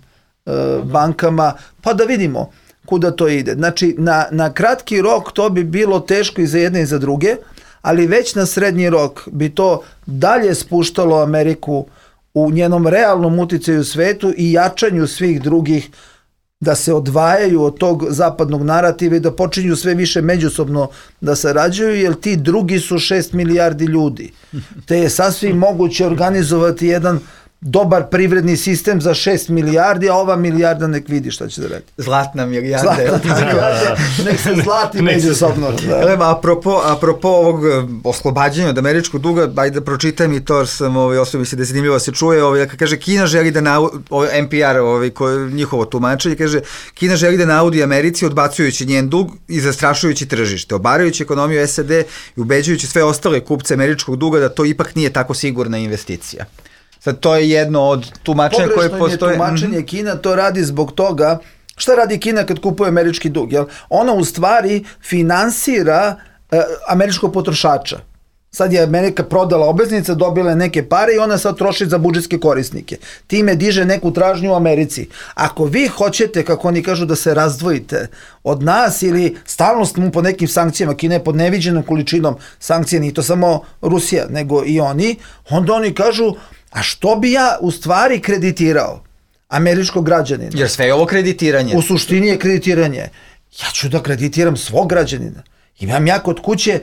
bankama, pa da vidimo kuda to ide. Znači, na kratki rok to bi bilo teško i za jedne i za druge, ali već na srednji rok bi to dalje spuštalo Ameriku u njenom realnom uticaju u svetu i jačanju svih drugih, da se odvajaju od tog zapadnog narativa i da počinju sve više međusobno da sarađuju, jer ti drugi su 6 milijardi ljudi. Te je sasvim moguće organizovati jedan dobar privredni sistem za 6 milijardi, a ova milijarda nek vidi šta će da radi. Zlatna milijarda. Nek se zlati međusobno. Apropo ovog oslobađanja od američkog duga, ajde da pročitam i to sam osobi se da je zanimljivo se čuje, kaže Kina želi da NPR, njihovo tumačenje, kaže Kina želi da naudi Americi odbacujući njen dug i zastrašujući tržište, obarajući ekonomiju SAD i ubeđujući sve ostale kupce američkog duga da to ipak nije tako sigurna investicija. Sad, to je jedno od tumačenja koje postoje. Pogrešno je tumačenje, Kina to radi zbog toga, šta radi Kina kad kupuje američki dug? Jel? Ona u stvari finansira američkog potrošača. Sad je Amerika prodala obveznice, dobila je neke pare i ona sad troši za budžetske korisnike. Time diže neku tražnju u Americi. Ako vi hoćete, kako oni kažu, da se razdvojite od nas ili stalno smo po nekim sankcijama, Kina je pod neviđenom količinom sankcija, nije to samo Rusija, nego i oni, onda oni kažu, a što bi ja u stvari kreditirao američkog građanina? Jer sve je ovo kreditiranje. U suštini je kreditiranje. Ja ću da kreditiram svog građanina. Imam ja kod kuće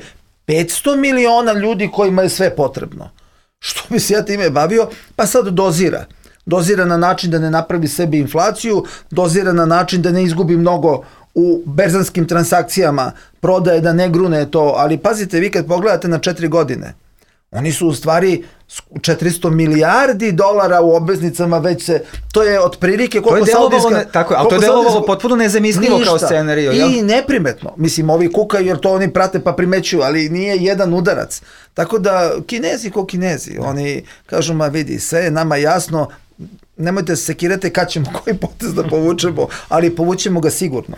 500 miliona ljudi kojima je sve potrebno. Što bi se ja time bavio? Pa sad dozira. Dozira na način da ne napravi sebi inflaciju, dozira na način da ne izgubi mnogo u berzanskim transakcijama, prodaje da ne grune to, ali pazite, vi kad pogledate na 4 godine, oni su u stvari 400 milijardi dolara u obveznicama, već se, to je otprilike koliko saudijska... Tako, ali to je delovalo potpuno nezamislivo kao scenario. I neprimetno. Mislim, ovi kukaju jer to oni prate pa primećuju, ali nije jedan udarac. Tako da, Kinezi ko Kinezi, oni kažu, ma vidi, sve je nama jasno, nemojte se sekirati kad ćemo koji potez da povučemo, ali povučemo ga sigurno.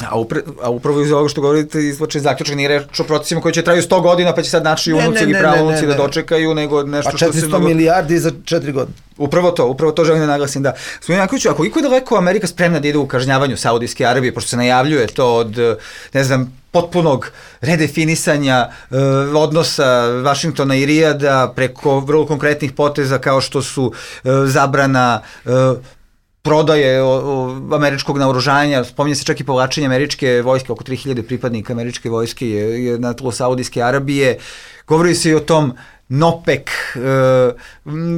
A upravo iz ovoga što govorite izvlače zaključak, nije reč o procesima koji će traju 100 godina, pa će sad naši unuci ili praunuci da dočekaju, nego nešto što se... Pa 400 milijardi za 4 godine. Upravo to želim da naglasim, da. Gospodin Jankoviću, a koliko je daleko Amerika spremna da ide u kažnjavanju Saudijske Arabije, pošto se najavljuje to od, ne znam, potpunog redefinisanja odnosa Vašingtona i Rijada preko vrlo konkretnih poteza kao što su zabrana prodaje američkog naoružanja, spominje se čak i povlačenje američke vojske, oko 3000 pripadnika američke vojske je na tlu Saudijske Arabije. Govori se i o tom NOPEC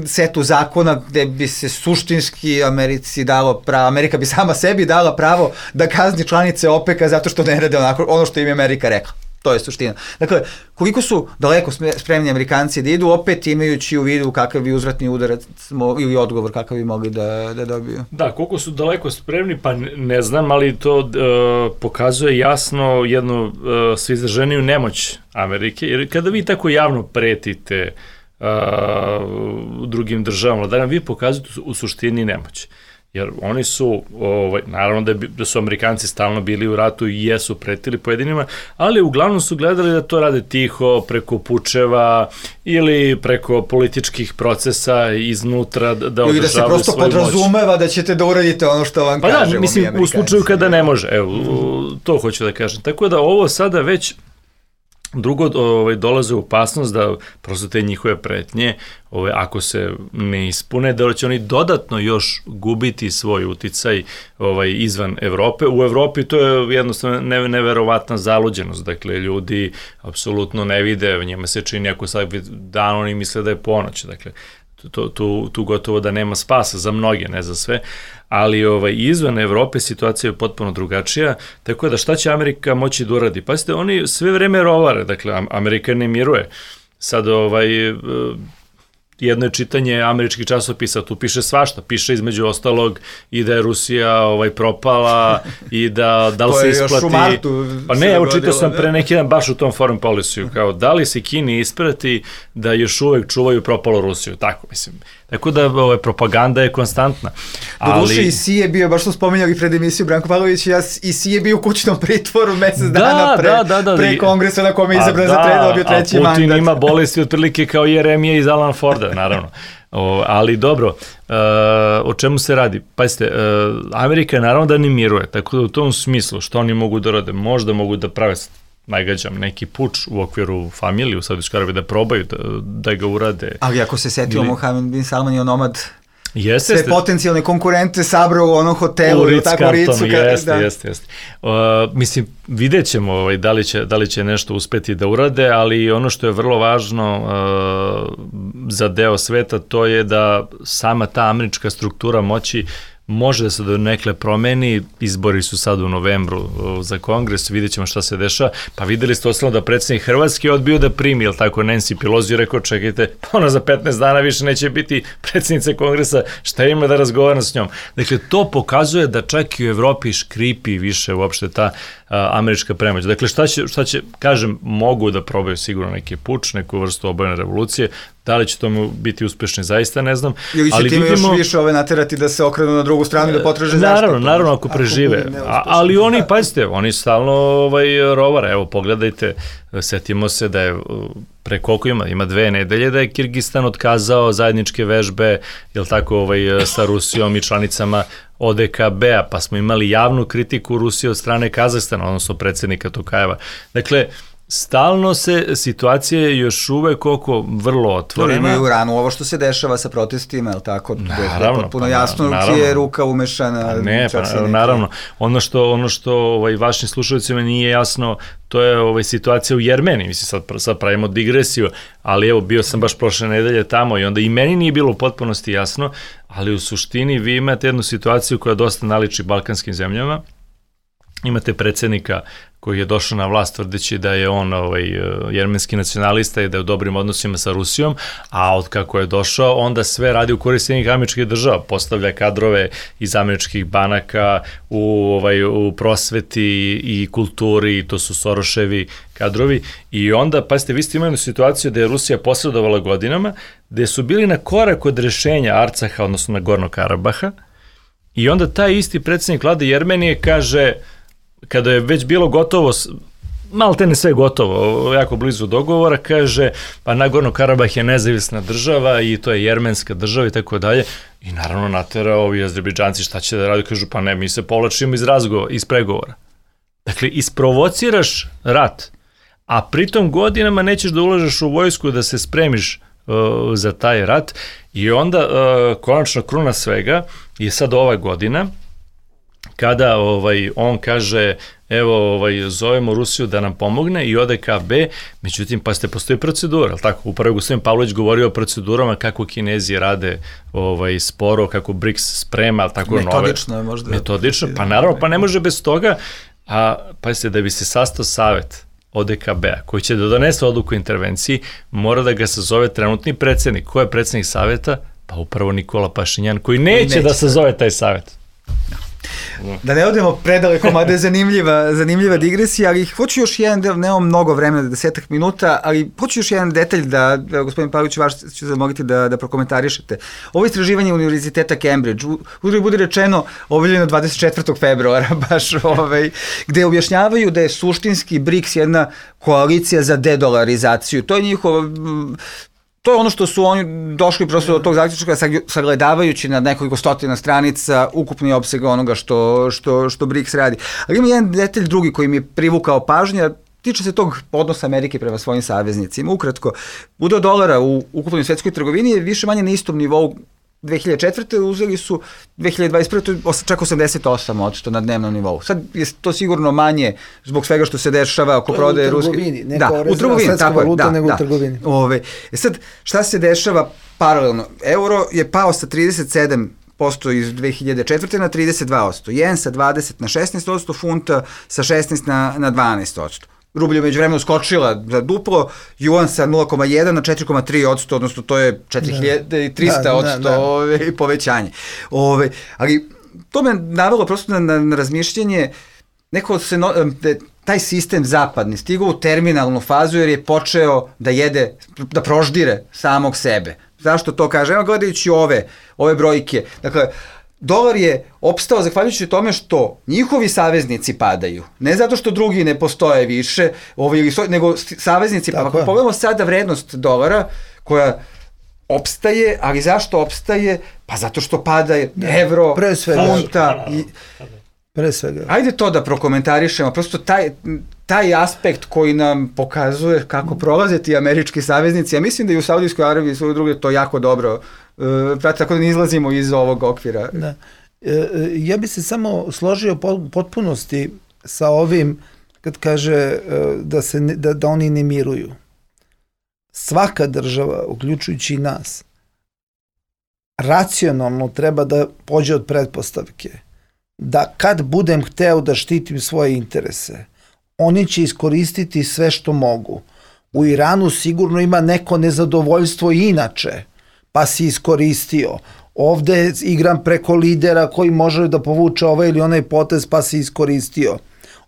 setu zakona gde bi se suštinski Americi dalo pravo, Amerika bi sama sebi dala pravo da kazni članice OPEC-a zato što ne rade ono što im je Amerika rekla. To je suština. Dakle, koliko su daleko spremni Amerikanci da idu, opet imajući u vidu kakav bi uzvratni udarac ili odgovor kakav bi mogli da dobiju? Da, koliko su daleko spremni, pa ne znam, ali to pokazuje jasno jednu sve izraženiju nemoć Amerike, jer kada vi tako javno pretite drugim državama, da nam vi pokazujete u suštini nemoć. Jer oni su, naravno da su Amerikanci stalno bili u ratu i jesu pretili pojedinima, ali uglavnom su gledali da to rade tiho, preko pučeva ili preko političkih procesa iznutra, da održavaju svoju moć. Ili da se prosto podrazumeva da ćete da uradite ono što vam kažemo mi Amerikanci. Pa da, mislim, u slučaju kada ne može, evo, to hoću da kažem. Tako da ovo sada već drugo dolaze u opasnost da prosto te njihove pretnje, ako se ne ispune, da će oni dodatno još gubiti svoj uticaj izvan Evrope. U Evropi to je jednostavno neverovatna zaluđenost, dakle ljudi apsolutno ne vide, njima se čini ako sad dan oni misle da je ponoć, dakle tu gotovo da nema spasa za mnoge, ne za sve, ali izvan Evrope situacija je potpuno drugačija, tako da šta će Amerika moći da uradi? Pazite, oni sve vreme rovare, dakle Amerika ne miruje. Sad jedno je čitanje američkih časopisa, tu piše svašta, piše između ostalog i da je Rusija propala i da li se isplati... To je još u martu. Pa ne, evo čitao sam pre neki dan baš u tom foreign policy-u, kao da li se Kini isplati da još uvek čuvaju propalu Rusiju, tako mislim. Tako da propaganda je konstantna. Doduše i Si je bio, baš smo spominjali pred emisiju Branko Pavlović, i Si je bio u kućnom pritvoru mesec dana pre kongresa na kome je izabran za dobio treći mandat. A Putin ima bolesti otprilike kao Jeremija iz Alan Forda, naravno. Ali dobro, o čemu se radi? Pazite, Amerika naravno da ne miruje, tako da u tom smislu što oni mogu da rade, možda mogu da prave najgađam neki puč u okviru familije u Saudijskoj Arabiji da probaju da ga urade. Ali ako se setio Mohamed bin Salman je onomad sve potencijalne konkurente sabrao u onom hotelu. U Ritz-Carltonu, jeste. Mislim, vidjet ćemo da li će nešto uspeti da urade, ali ono što je vrlo važno za deo sveta, to je da sama ta američka struktura moći može da se do nekle promeni, izbori su sad u novembru za kongres, vidjet ćemo šta se dešava, pa videli ste osnovno da predsjednik Hrvatske odbio da primi, jel tako, Nancy Pelosi, rekao, čekajte, ona za 15 dana više neće biti predsjednica kongresa, šta ima da razgovara s njom. Dakle, to pokazuje da čak i u Evropi škripi više uopšte ta američka premoć. Dakle, šta će, kažem, mogu da probaju sigurno neki puč, neku vrstu obojene revolucije, da li će tomu biti uspešni, zaista ne znam. Ili će time još više naterati da se okrenu na drugu stranu i da potraže zaštitu? Naravno, ako prežive. Ali oni, pazite, oni stalno rovare. Evo, pogledajte, setimo se da je pre koliko ima 2 nedelje da je Kirgistan otkazao zajedničke vežbe, jel tako, sa Rusijom i članicama ODKB-a, pa smo imali javnu kritiku Rusije od strane Kazahstana, odnosno predsjednika Tokajeva. Dakle, stalno se situacija još uvek oko vrlo otvorena. Imaju ranu ovo što se dešava sa protestima, je li tako? Naravno. Potpuno jasno čija je ruka umešana. Naravno. Ono što vašim slušalicima nije jasno, to je situacija u Jermeniji. Mislim, sad pravimo digresiju, ali evo, bio sam baš prošle nedelje tamo i onda i meni nije bilo u potpunosti jasno, ali u suštini vi imate jednu situaciju koja dosta naliči balkanskim zemljama. Imate predsjednika koji je došao na vlast tvrdeći da je on jermenski nacionalista i da je u dobrim odnosima sa Rusijom, a od kako je došao, onda sve radi u korist Sjedinjenih američkih država, postavlja kadrove iz američkih banaka u prosveti i kulturi, to su Soroševi kadrovi, i onda, pazite, vi ste imali situaciju da je Rusija posredovala godinama, gde su bili na korak od rešenja Arcaha, odnosno Nagornog Karabaha, i onda taj isti predsjednik vlade Jermenije kaže, kada je već bilo gotovo, maltene sve gotovo, jako blizu dogovora, kaže, pa Nagorno Karabah je nezavisna država i to je jermenska država i tako dalje. I naravno natera ovi Azerbejdžanci šta će da radi, kažu, pa ne, mi se povlačimo iz pregovora. Dakle, isprovociraš rat, a pritom godinama nećeš da ulažeš u vojsku da se spremiš za taj rat, i onda konačno kruna svega je sad ova godina, kada on kaže, evo, zovemo Rusiju da nam pomogne i ODKB, međutim, pa postoji procedura, tako? Upravo gospodin Pavlović govorio o procedurama kako Kinezi rade sporo, kako BRICS sprema, tako nove. Metodično je možda. Metodično, pa naravno, pa ne može bez toga, a pazite, da bi se sastao savet ODKB-a, koji će da donese odluku o intervenciji, mora da ga sazove trenutni predsjednik. Ko je predsjednik saveta? Pa upravo Nikola Pašinjan, koji neće da sazove taj savet. Da ne odemo predaleko, mada je zanimljiva digresija, ali hoću još jedan, nemam mnogo vremena, 10 minuta, ali hoću još jedan detalj da gospodin Pavlović, vaš ću zamoliti da prokomentarišete. Ovo istraživanje Univerziteta Cambridge, bude rečeno, objavljeno 24. februara, baš gde objašnjavaju da je suštinski BRICS jedna koalicija za dedolarizaciju. To je to je ono što su oni došli prosto do tog zaključka, sagledavajući na nekoliko stotina stranica ukupni opseg onoga što BRICS radi. Ali ima jedan detalj drugi koji mi je privukao pažnju, tiče se tog odnosa Amerike prema svojim saveznicima. Ukratko, udeo dolara u ukupnoj svetskoj trgovini je više manje na istom nivou 2004. uzeli su 2021. čak 88% na dnevnom nivou. Sad je to sigurno manje zbog svega što se dešava oko prodaje ruske. U trgovini, ne kao rezervna svetska valuta, nego u trgovini. Sad, šta se dešava paralelno? Euro je pao sa 37% iz 2004. na 32%. Jen sa 20 na 16%, funta sa 16 na 12%. Rublja je međuvremeno skočila za duplo, juan sa 0,1 na 4,3%, odnosno to je 4300% povećanje. Ali to me navelo prosto na razmišljanje, taj sistem zapadni stigao u terminalnu fazu jer je počeo da proždire samog sebe. Zašto to kažem? Evo gledajući ove brojke, dakle, dolar je opstao zahvaljujući tome što njihovi saveznici padaju. Ne zato što drugi ne postoje više, nego saveznici. Pa ako pogledamo sada vrednost dolara koja opstaje, ali zašto opstaje? Pa zato što pada evro, funta. Pre svega. Ajde to da prokomentarišemo, prosto taj aspekt koji nam pokazuje kako prolaze ti američki saveznici. Ja mislim da i u Saudijskoj Arabiji i sve druge to jako dobro prati, tako da ne izlazimo iz ovog okvira. Da. Ja bi se samo složio potpunosti sa ovim kad kaže da oni ne miruju. Svaka država, uključujući i nas, racionalno treba da pođe od pretpostavke da kad budem hteo da štitim svoje interese, oni će iskoristiti sve što mogu. U Iranu sigurno ima neko nezadovoljstvo inače, pa si iskoristio. Ovde igram preko lidera koji može da povuče ovaj ili onaj potez, pa si iskoristio.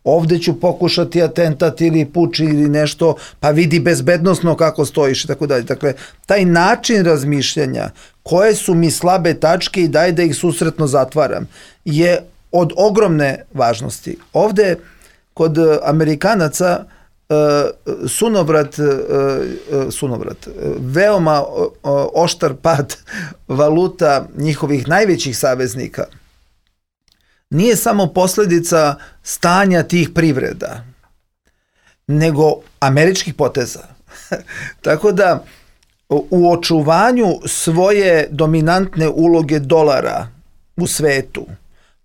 Ovde ću pokušati atentat ili puč ili nešto, pa vidi bezbednosno kako stojiš i tako dalje. Dakle, taj način razmišljanja, koje su mi slabe tačke i daj da ih susretno zatvaram, je od ogromne važnosti. Ovde, kod Amerikanaca, sunovrat, veoma oštar pad valuta njihovih najvećih saveznika nije samo posledica stanja tih privreda, nego američkih poteza. Tako da u očuvanju svoje dominantne uloge dolara u svetu,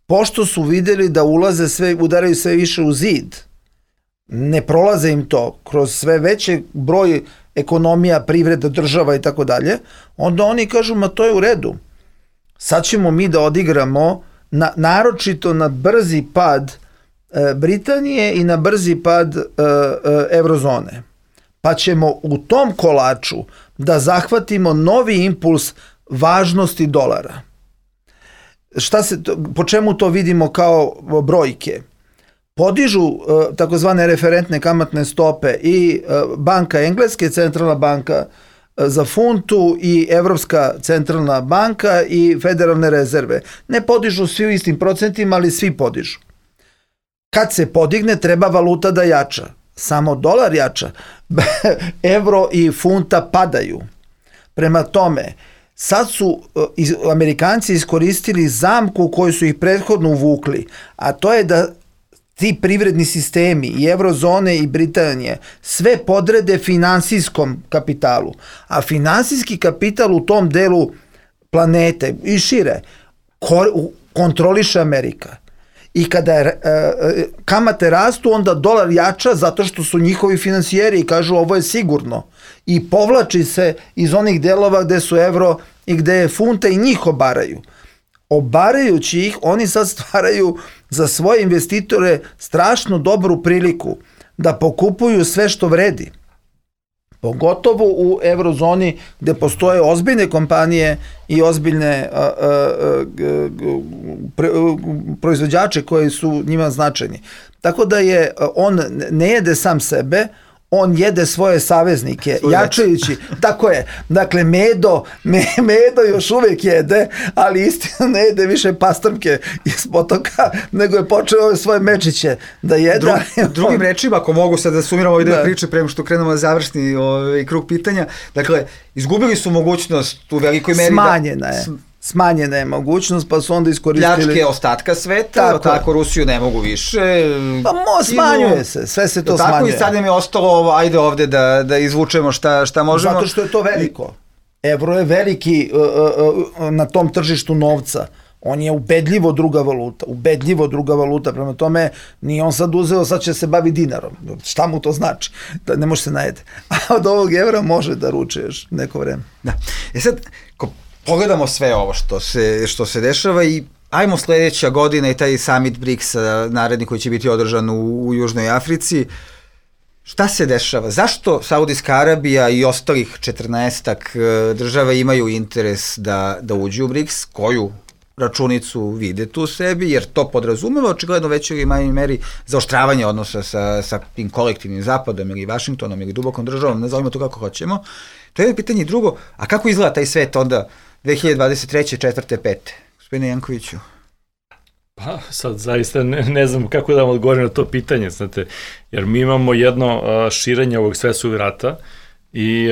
pošto su videli da udaraju sve više u zid, ne prolaze im to kroz sve veći broj ekonomija, privreda, država i tako dalje, onda oni kažu, ma to je u redu. Sad ćemo mi da odigramo naročito na brzi pad Britanije i na brzi pad eurozone. Pa ćemo u tom kolaču da zahvatimo novi impuls važnosti dolara. Po čemu to vidimo kao brojke? Podižu takozvane referentne kamatne stope i banka Engleske, centralna banka za funtu i Evropska centralna banka i federalne rezerve. Ne podižu svi u istim procentima, ali svi podižu. Kad se podigne, treba valuta da jača. Samo dolar jača. Evro i funta padaju. Prema tome, sad su Amerikanci iskoristili zamku koju su ih prethodno uvukli, a to je da ti privredni sistemi i eurozone i Britanije sve podrede finansijskom kapitalu, a finansijski kapital u tom delu planete i šire kontroliše Amerika. I kada kamate rastu, onda dolar jača zato što su njihovi finansijeri i kažu ovo je sigurno. I povlači se iz onih delova gde su evro i gde je funta i njih obaraju. Obarajući ih, oni sad stvaraju za svoje investitore strašno dobru priliku da pokupuju sve što vredi. Pogotovo u eurozoni gde postoje ozbiljne kompanije i ozbiljne proizvođače koji su njima značajni. Tako da on ne jede sam sebe, on jede svoje saveznike, jačajući, tako je, dakle Medo još uvijek jede, ali istina ne jede više pastrmke iz potoka, nego je počeo ove svoje mečiće da jede. Drugim rečima, ako mogu sad da sumiramo ove dve priče prema što krenemo na završni krug pitanja, dakle, izgubili su mogućnost u velikoj meri Smanjena je mogućnost, pa su onda iskoristili pljačke ostatka sveta, tako Rusiju ne mogu više. Pa smanjuje se, sve se to smanjuje. Tako i sad nam je ostalo, ajde ovde da izvučemo šta možemo. Zato što je to veliko. Evro je veliki na tom tržištu novca. On je ubedljivo druga valuta, prema tome nije on sad uzeo, sad će se bavi dinarom. Šta mu to znači? Da ne može se najede. A od ovog evra može da ruče još neko vreme. Da. Sad, pogledamo sve ovo što se dešava i ajmo sledeća godina i taj summit BRICS-a naredni koji će biti održan u Južnoj Africi. Šta se dešava? Zašto Saudijska Arabija i ostalih 14-ak država imaju interes da uđu u BRICS? Koju računicu vide tu sebi? Jer to podrazumeva očigledno većoj ili manjoj meri zaoštravanje odnosa sa tim kolektivnim zapadom ili Vašingtonom ili dubokom državom, nazovimo to kako hoćemo. To je jedno pitanje. Drugo, a kako izgleda taj svet onda 2023. 4. 5. Gospodine Jankoviću? Pa sad zaista ne znam kako da vam odgovorim na to pitanje, znate, jer mi imamo jedno širenje ovog svetskog rata i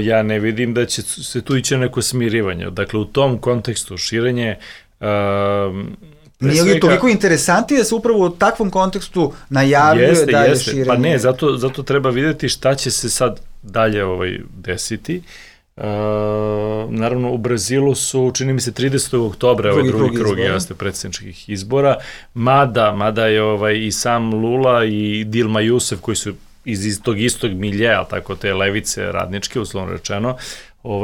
ja ne vidim da će se tu ići neko smirivanje. Dakle, u tom kontekstu širenje Nije li toliko interesantnije da se upravo u takvom kontekstu najavljuje dalje širenje? Pa ne, zato treba vidjeti šta će se sad dalje desiti. Naravno, u Brazilu su, čini mi se, 30. oktobra drugi krug predsjedničkih izbora, mada je i sam Lula i Dilma Rousseff, koji su iz tog istog miljeja, tako te levice radničke, uslovno rečeno,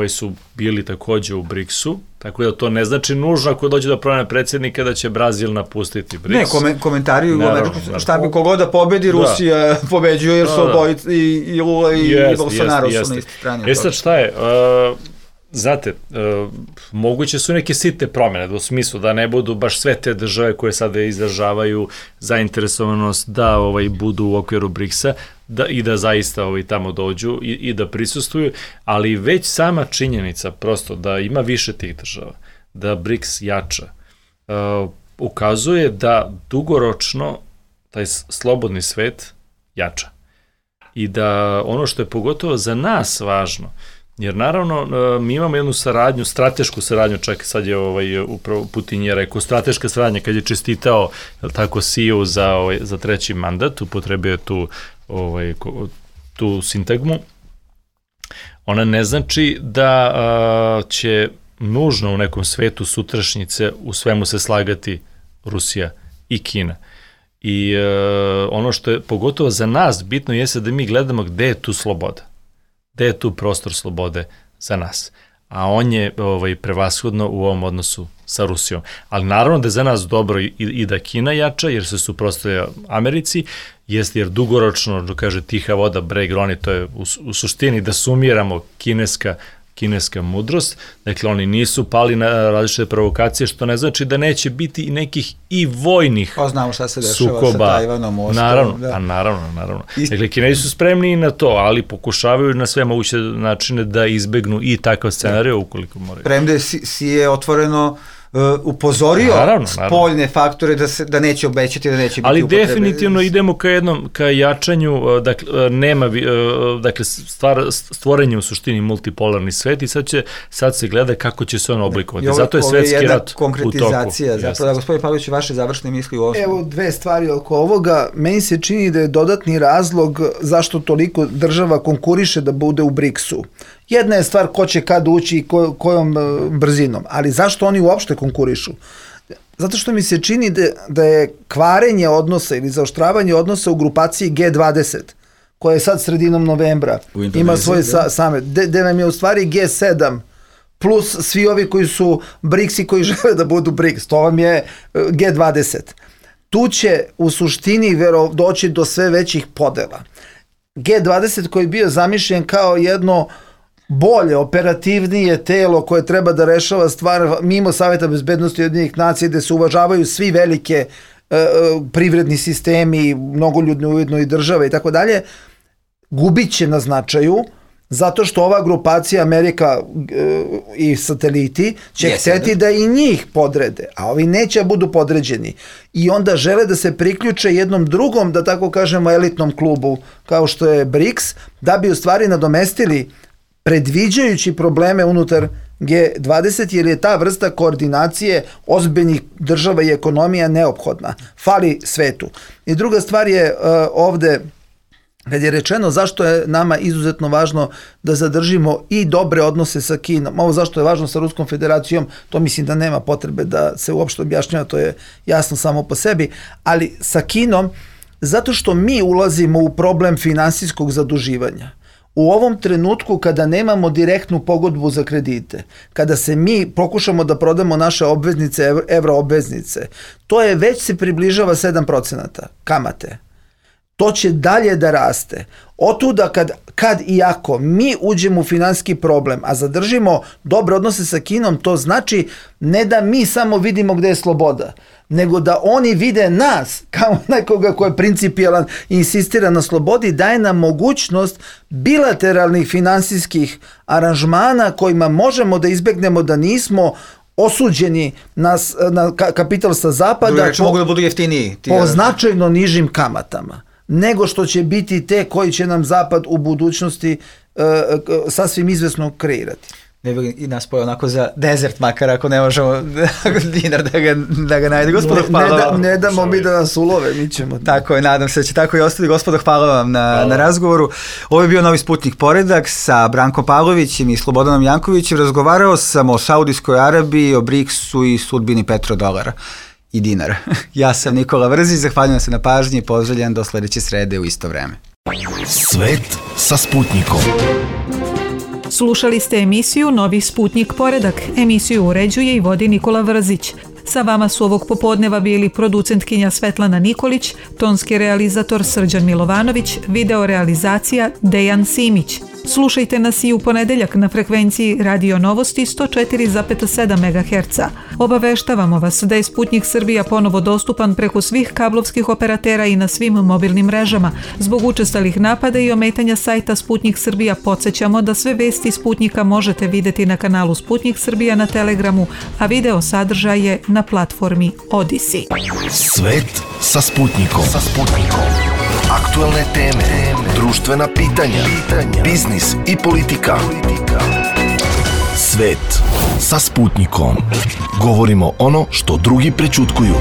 su bili takođe u BRICS-u, tako da to ne znači nužno ako dođe do promene predsjednika da će Brazil napustiti BRICS. Ne, komentari šta bi kogod da pobedi, Rusija pobeđuje jer su obojice i Lula i Bolsonaro su na isti strani. Sad šta je, znate, moguće su neke sitne promjene, u smislu da ne budu baš sve te države koje sada izražavaju zainteresovanost da budu u okviru BRICS-a i da zaista tamo dođu i da prisustvuju, ali već sama činjenica prosto da ima više tih država, da BRICS jača, ukazuje da dugoročno taj slobodni svet jača. I da ono što je pogotovo za nas važno, jer naravno mi imamo jednu saradnju, stratešku saradnju, čak sad je upravo Putin je rekao, strateška saradnja kad je čestitao tako Siju za treći mandat, upotrebio tu sintagmu, ona ne znači da će nužno u nekom svetu sutrašnjice u svemu se slagati Rusija i Kina. I ono što je pogotovo za nas bitno jeste da mi gledamo gde je tu sloboda. Gde je tu prostor slobode za nas? A on je prevashodno u ovom odnosu sa Rusijom. Ali naravno da je za nas dobro i da Kina jača, jer se suprotstavlja Americi, jeste jer dugoročno, kaže tiha voda, breg roni, to je u suštini da sumiramo kineska mudrost. Dakle, oni nisu pali na različite provokacije, što ne znači da neće biti i nekih i vojnih sukoba. Znamo šta se dešava sa Tajvanom. Naravno. Dakle, Kinezi su spremni i na to, ali pokušavaju na sve moguće načine da izbegnu i takav scenarij ukoliko moraju. Premda si je otvoreno upozorio spoljne faktore da neće obećati, da neće biti ali upotrebe. Ali definitivno idemo ka jačanju, dakle stvorenje u suštini multipolarni svet i sad se gleda kako će se on oblikovati. Zato je svetski rat u toku. Konkretizacija. Zapravo da, gospodin Pavlović, vaše završne misli u ovom. Evo dve stvari oko ovoga. Meni se čini da je dodatni razlog zašto toliko država konkuriše da bude u BRICS-u. Jedna je stvar ko će kad ući i kojom brzinom, ali zašto oni uopšte konkurišu? Zato što mi se čini da je kvarenje odnosa ili zaoštravanje odnosa u grupaciji G20, koja je sad sredinom novembra, ima svoj samet, gde nam je u stvari G7, plus svi ovi koji su BRICS i koji žele da budu BRICS, to vam je G20. Tu će u suštini doći do sve većih podela. G20 koji je bio zamišljen kao jedno bolje, operativnije telo koje treba da rešava stvar mimo Saveta bezbednosti Ujedinjenih nacija, gde se uvažavaju svi velike privredni sistemi, mnogoljudne ujedno i države i tako dalje, gubit će na značaju zato što ova grupacija Amerika i sateliti će hteti da i njih podrede, a ovi neće budu podređeni. I onda žele da se priključe jednom drugom, da tako kažemo, elitnom klubu kao što je BRICS, da bi u stvari nadomestili predviđajući probleme unutar G20, jer je ta vrsta koordinacije ozbiljnih država i ekonomija neophodna. Fali svetu. I druga stvar je ovde, kad je rečeno zašto je nama izuzetno važno da zadržimo i dobre odnose sa Kinom, ovo zašto je važno sa Ruskom federacijom, to mislim da nema potrebe da se uopšte objašnjava, to je jasno samo po sebi, ali sa Kinom, zato što mi ulazimo u problem finansijskog zaduživanja. U ovom trenutku kada nemamo direktnu pogodbu za kredite, kada se mi pokušamo da prodamo naše obveznice, evroobveznice, to je već se približava 7% kamate. To će dalje da raste. Otuda kad i ako mi uđemo u finansijski problem, a zadržimo dobre odnose sa Kinom, to znači ne da mi samo vidimo gde je sloboda, nego da oni vide nas kao nekoga ko je principijalan i insistira na slobodi, daje nam mogućnost bilateralnih finansijskih aranžmana kojima možemo da izbegnemo da nismo osuđeni na kapital sa zapada mogu da budu jeftiniji po značajno nižim kamatama, nego što će biti te koji će nam zapad u budućnosti sasvim izvesno kreirati. ne bi i nas pojao onako za desert, makar ako ne možemo dinar da ga najde. Gospodo, hvala vam. Ne damo mi da nas ulove, mi ćemo. Tako je, nadam se da će tako i ostati. Gospodo, hvala vam na razgovoru. Ovo je bio Novi Sputnik Poredak sa Brankom Pavlovićem i Slobodanom Jankovićem. Razgovarao sam o Saudijskoj Arabiji, o BRICS-u i sudbini petrodolara i dinara. Ja sam Nikola Vrzić, zahvaljujem se na pažnji i pozdravljam do sledeće srede u isto vreme. Svet sa Sputnikom. Slušali ste emisiju Novi Sputnik Poredak. Emisiju uređuje i vodi Nikola Vrzić. Sa vama su ovog popodneva bili producentkinja Svetlana Nikolić, tonski realizator Srđan Milovanović, video realizacija Dejan Simić. Slušajte nas i u ponedeljak na frekvenciji Radio Novosti 104,7 MHz. Obaveštavamo vas da je Sputnik Srbija ponovo dostupan preko svih kablovskih operatera i na svim mobilnim mrežama. Zbog učestalih napada i ometanja sajta Sputnik Srbija podsjećamo da sve vesti Sputnika možete videti na kanalu Sputnik Srbija na Telegramu, a video sadržaj je na platformi Odyssey. Svet sa Sputnikom. Aktualne teme, društvena pitanja, biznis i politika. Svet sa Sputnikom. Govorimo ono što drugi prećutkuju.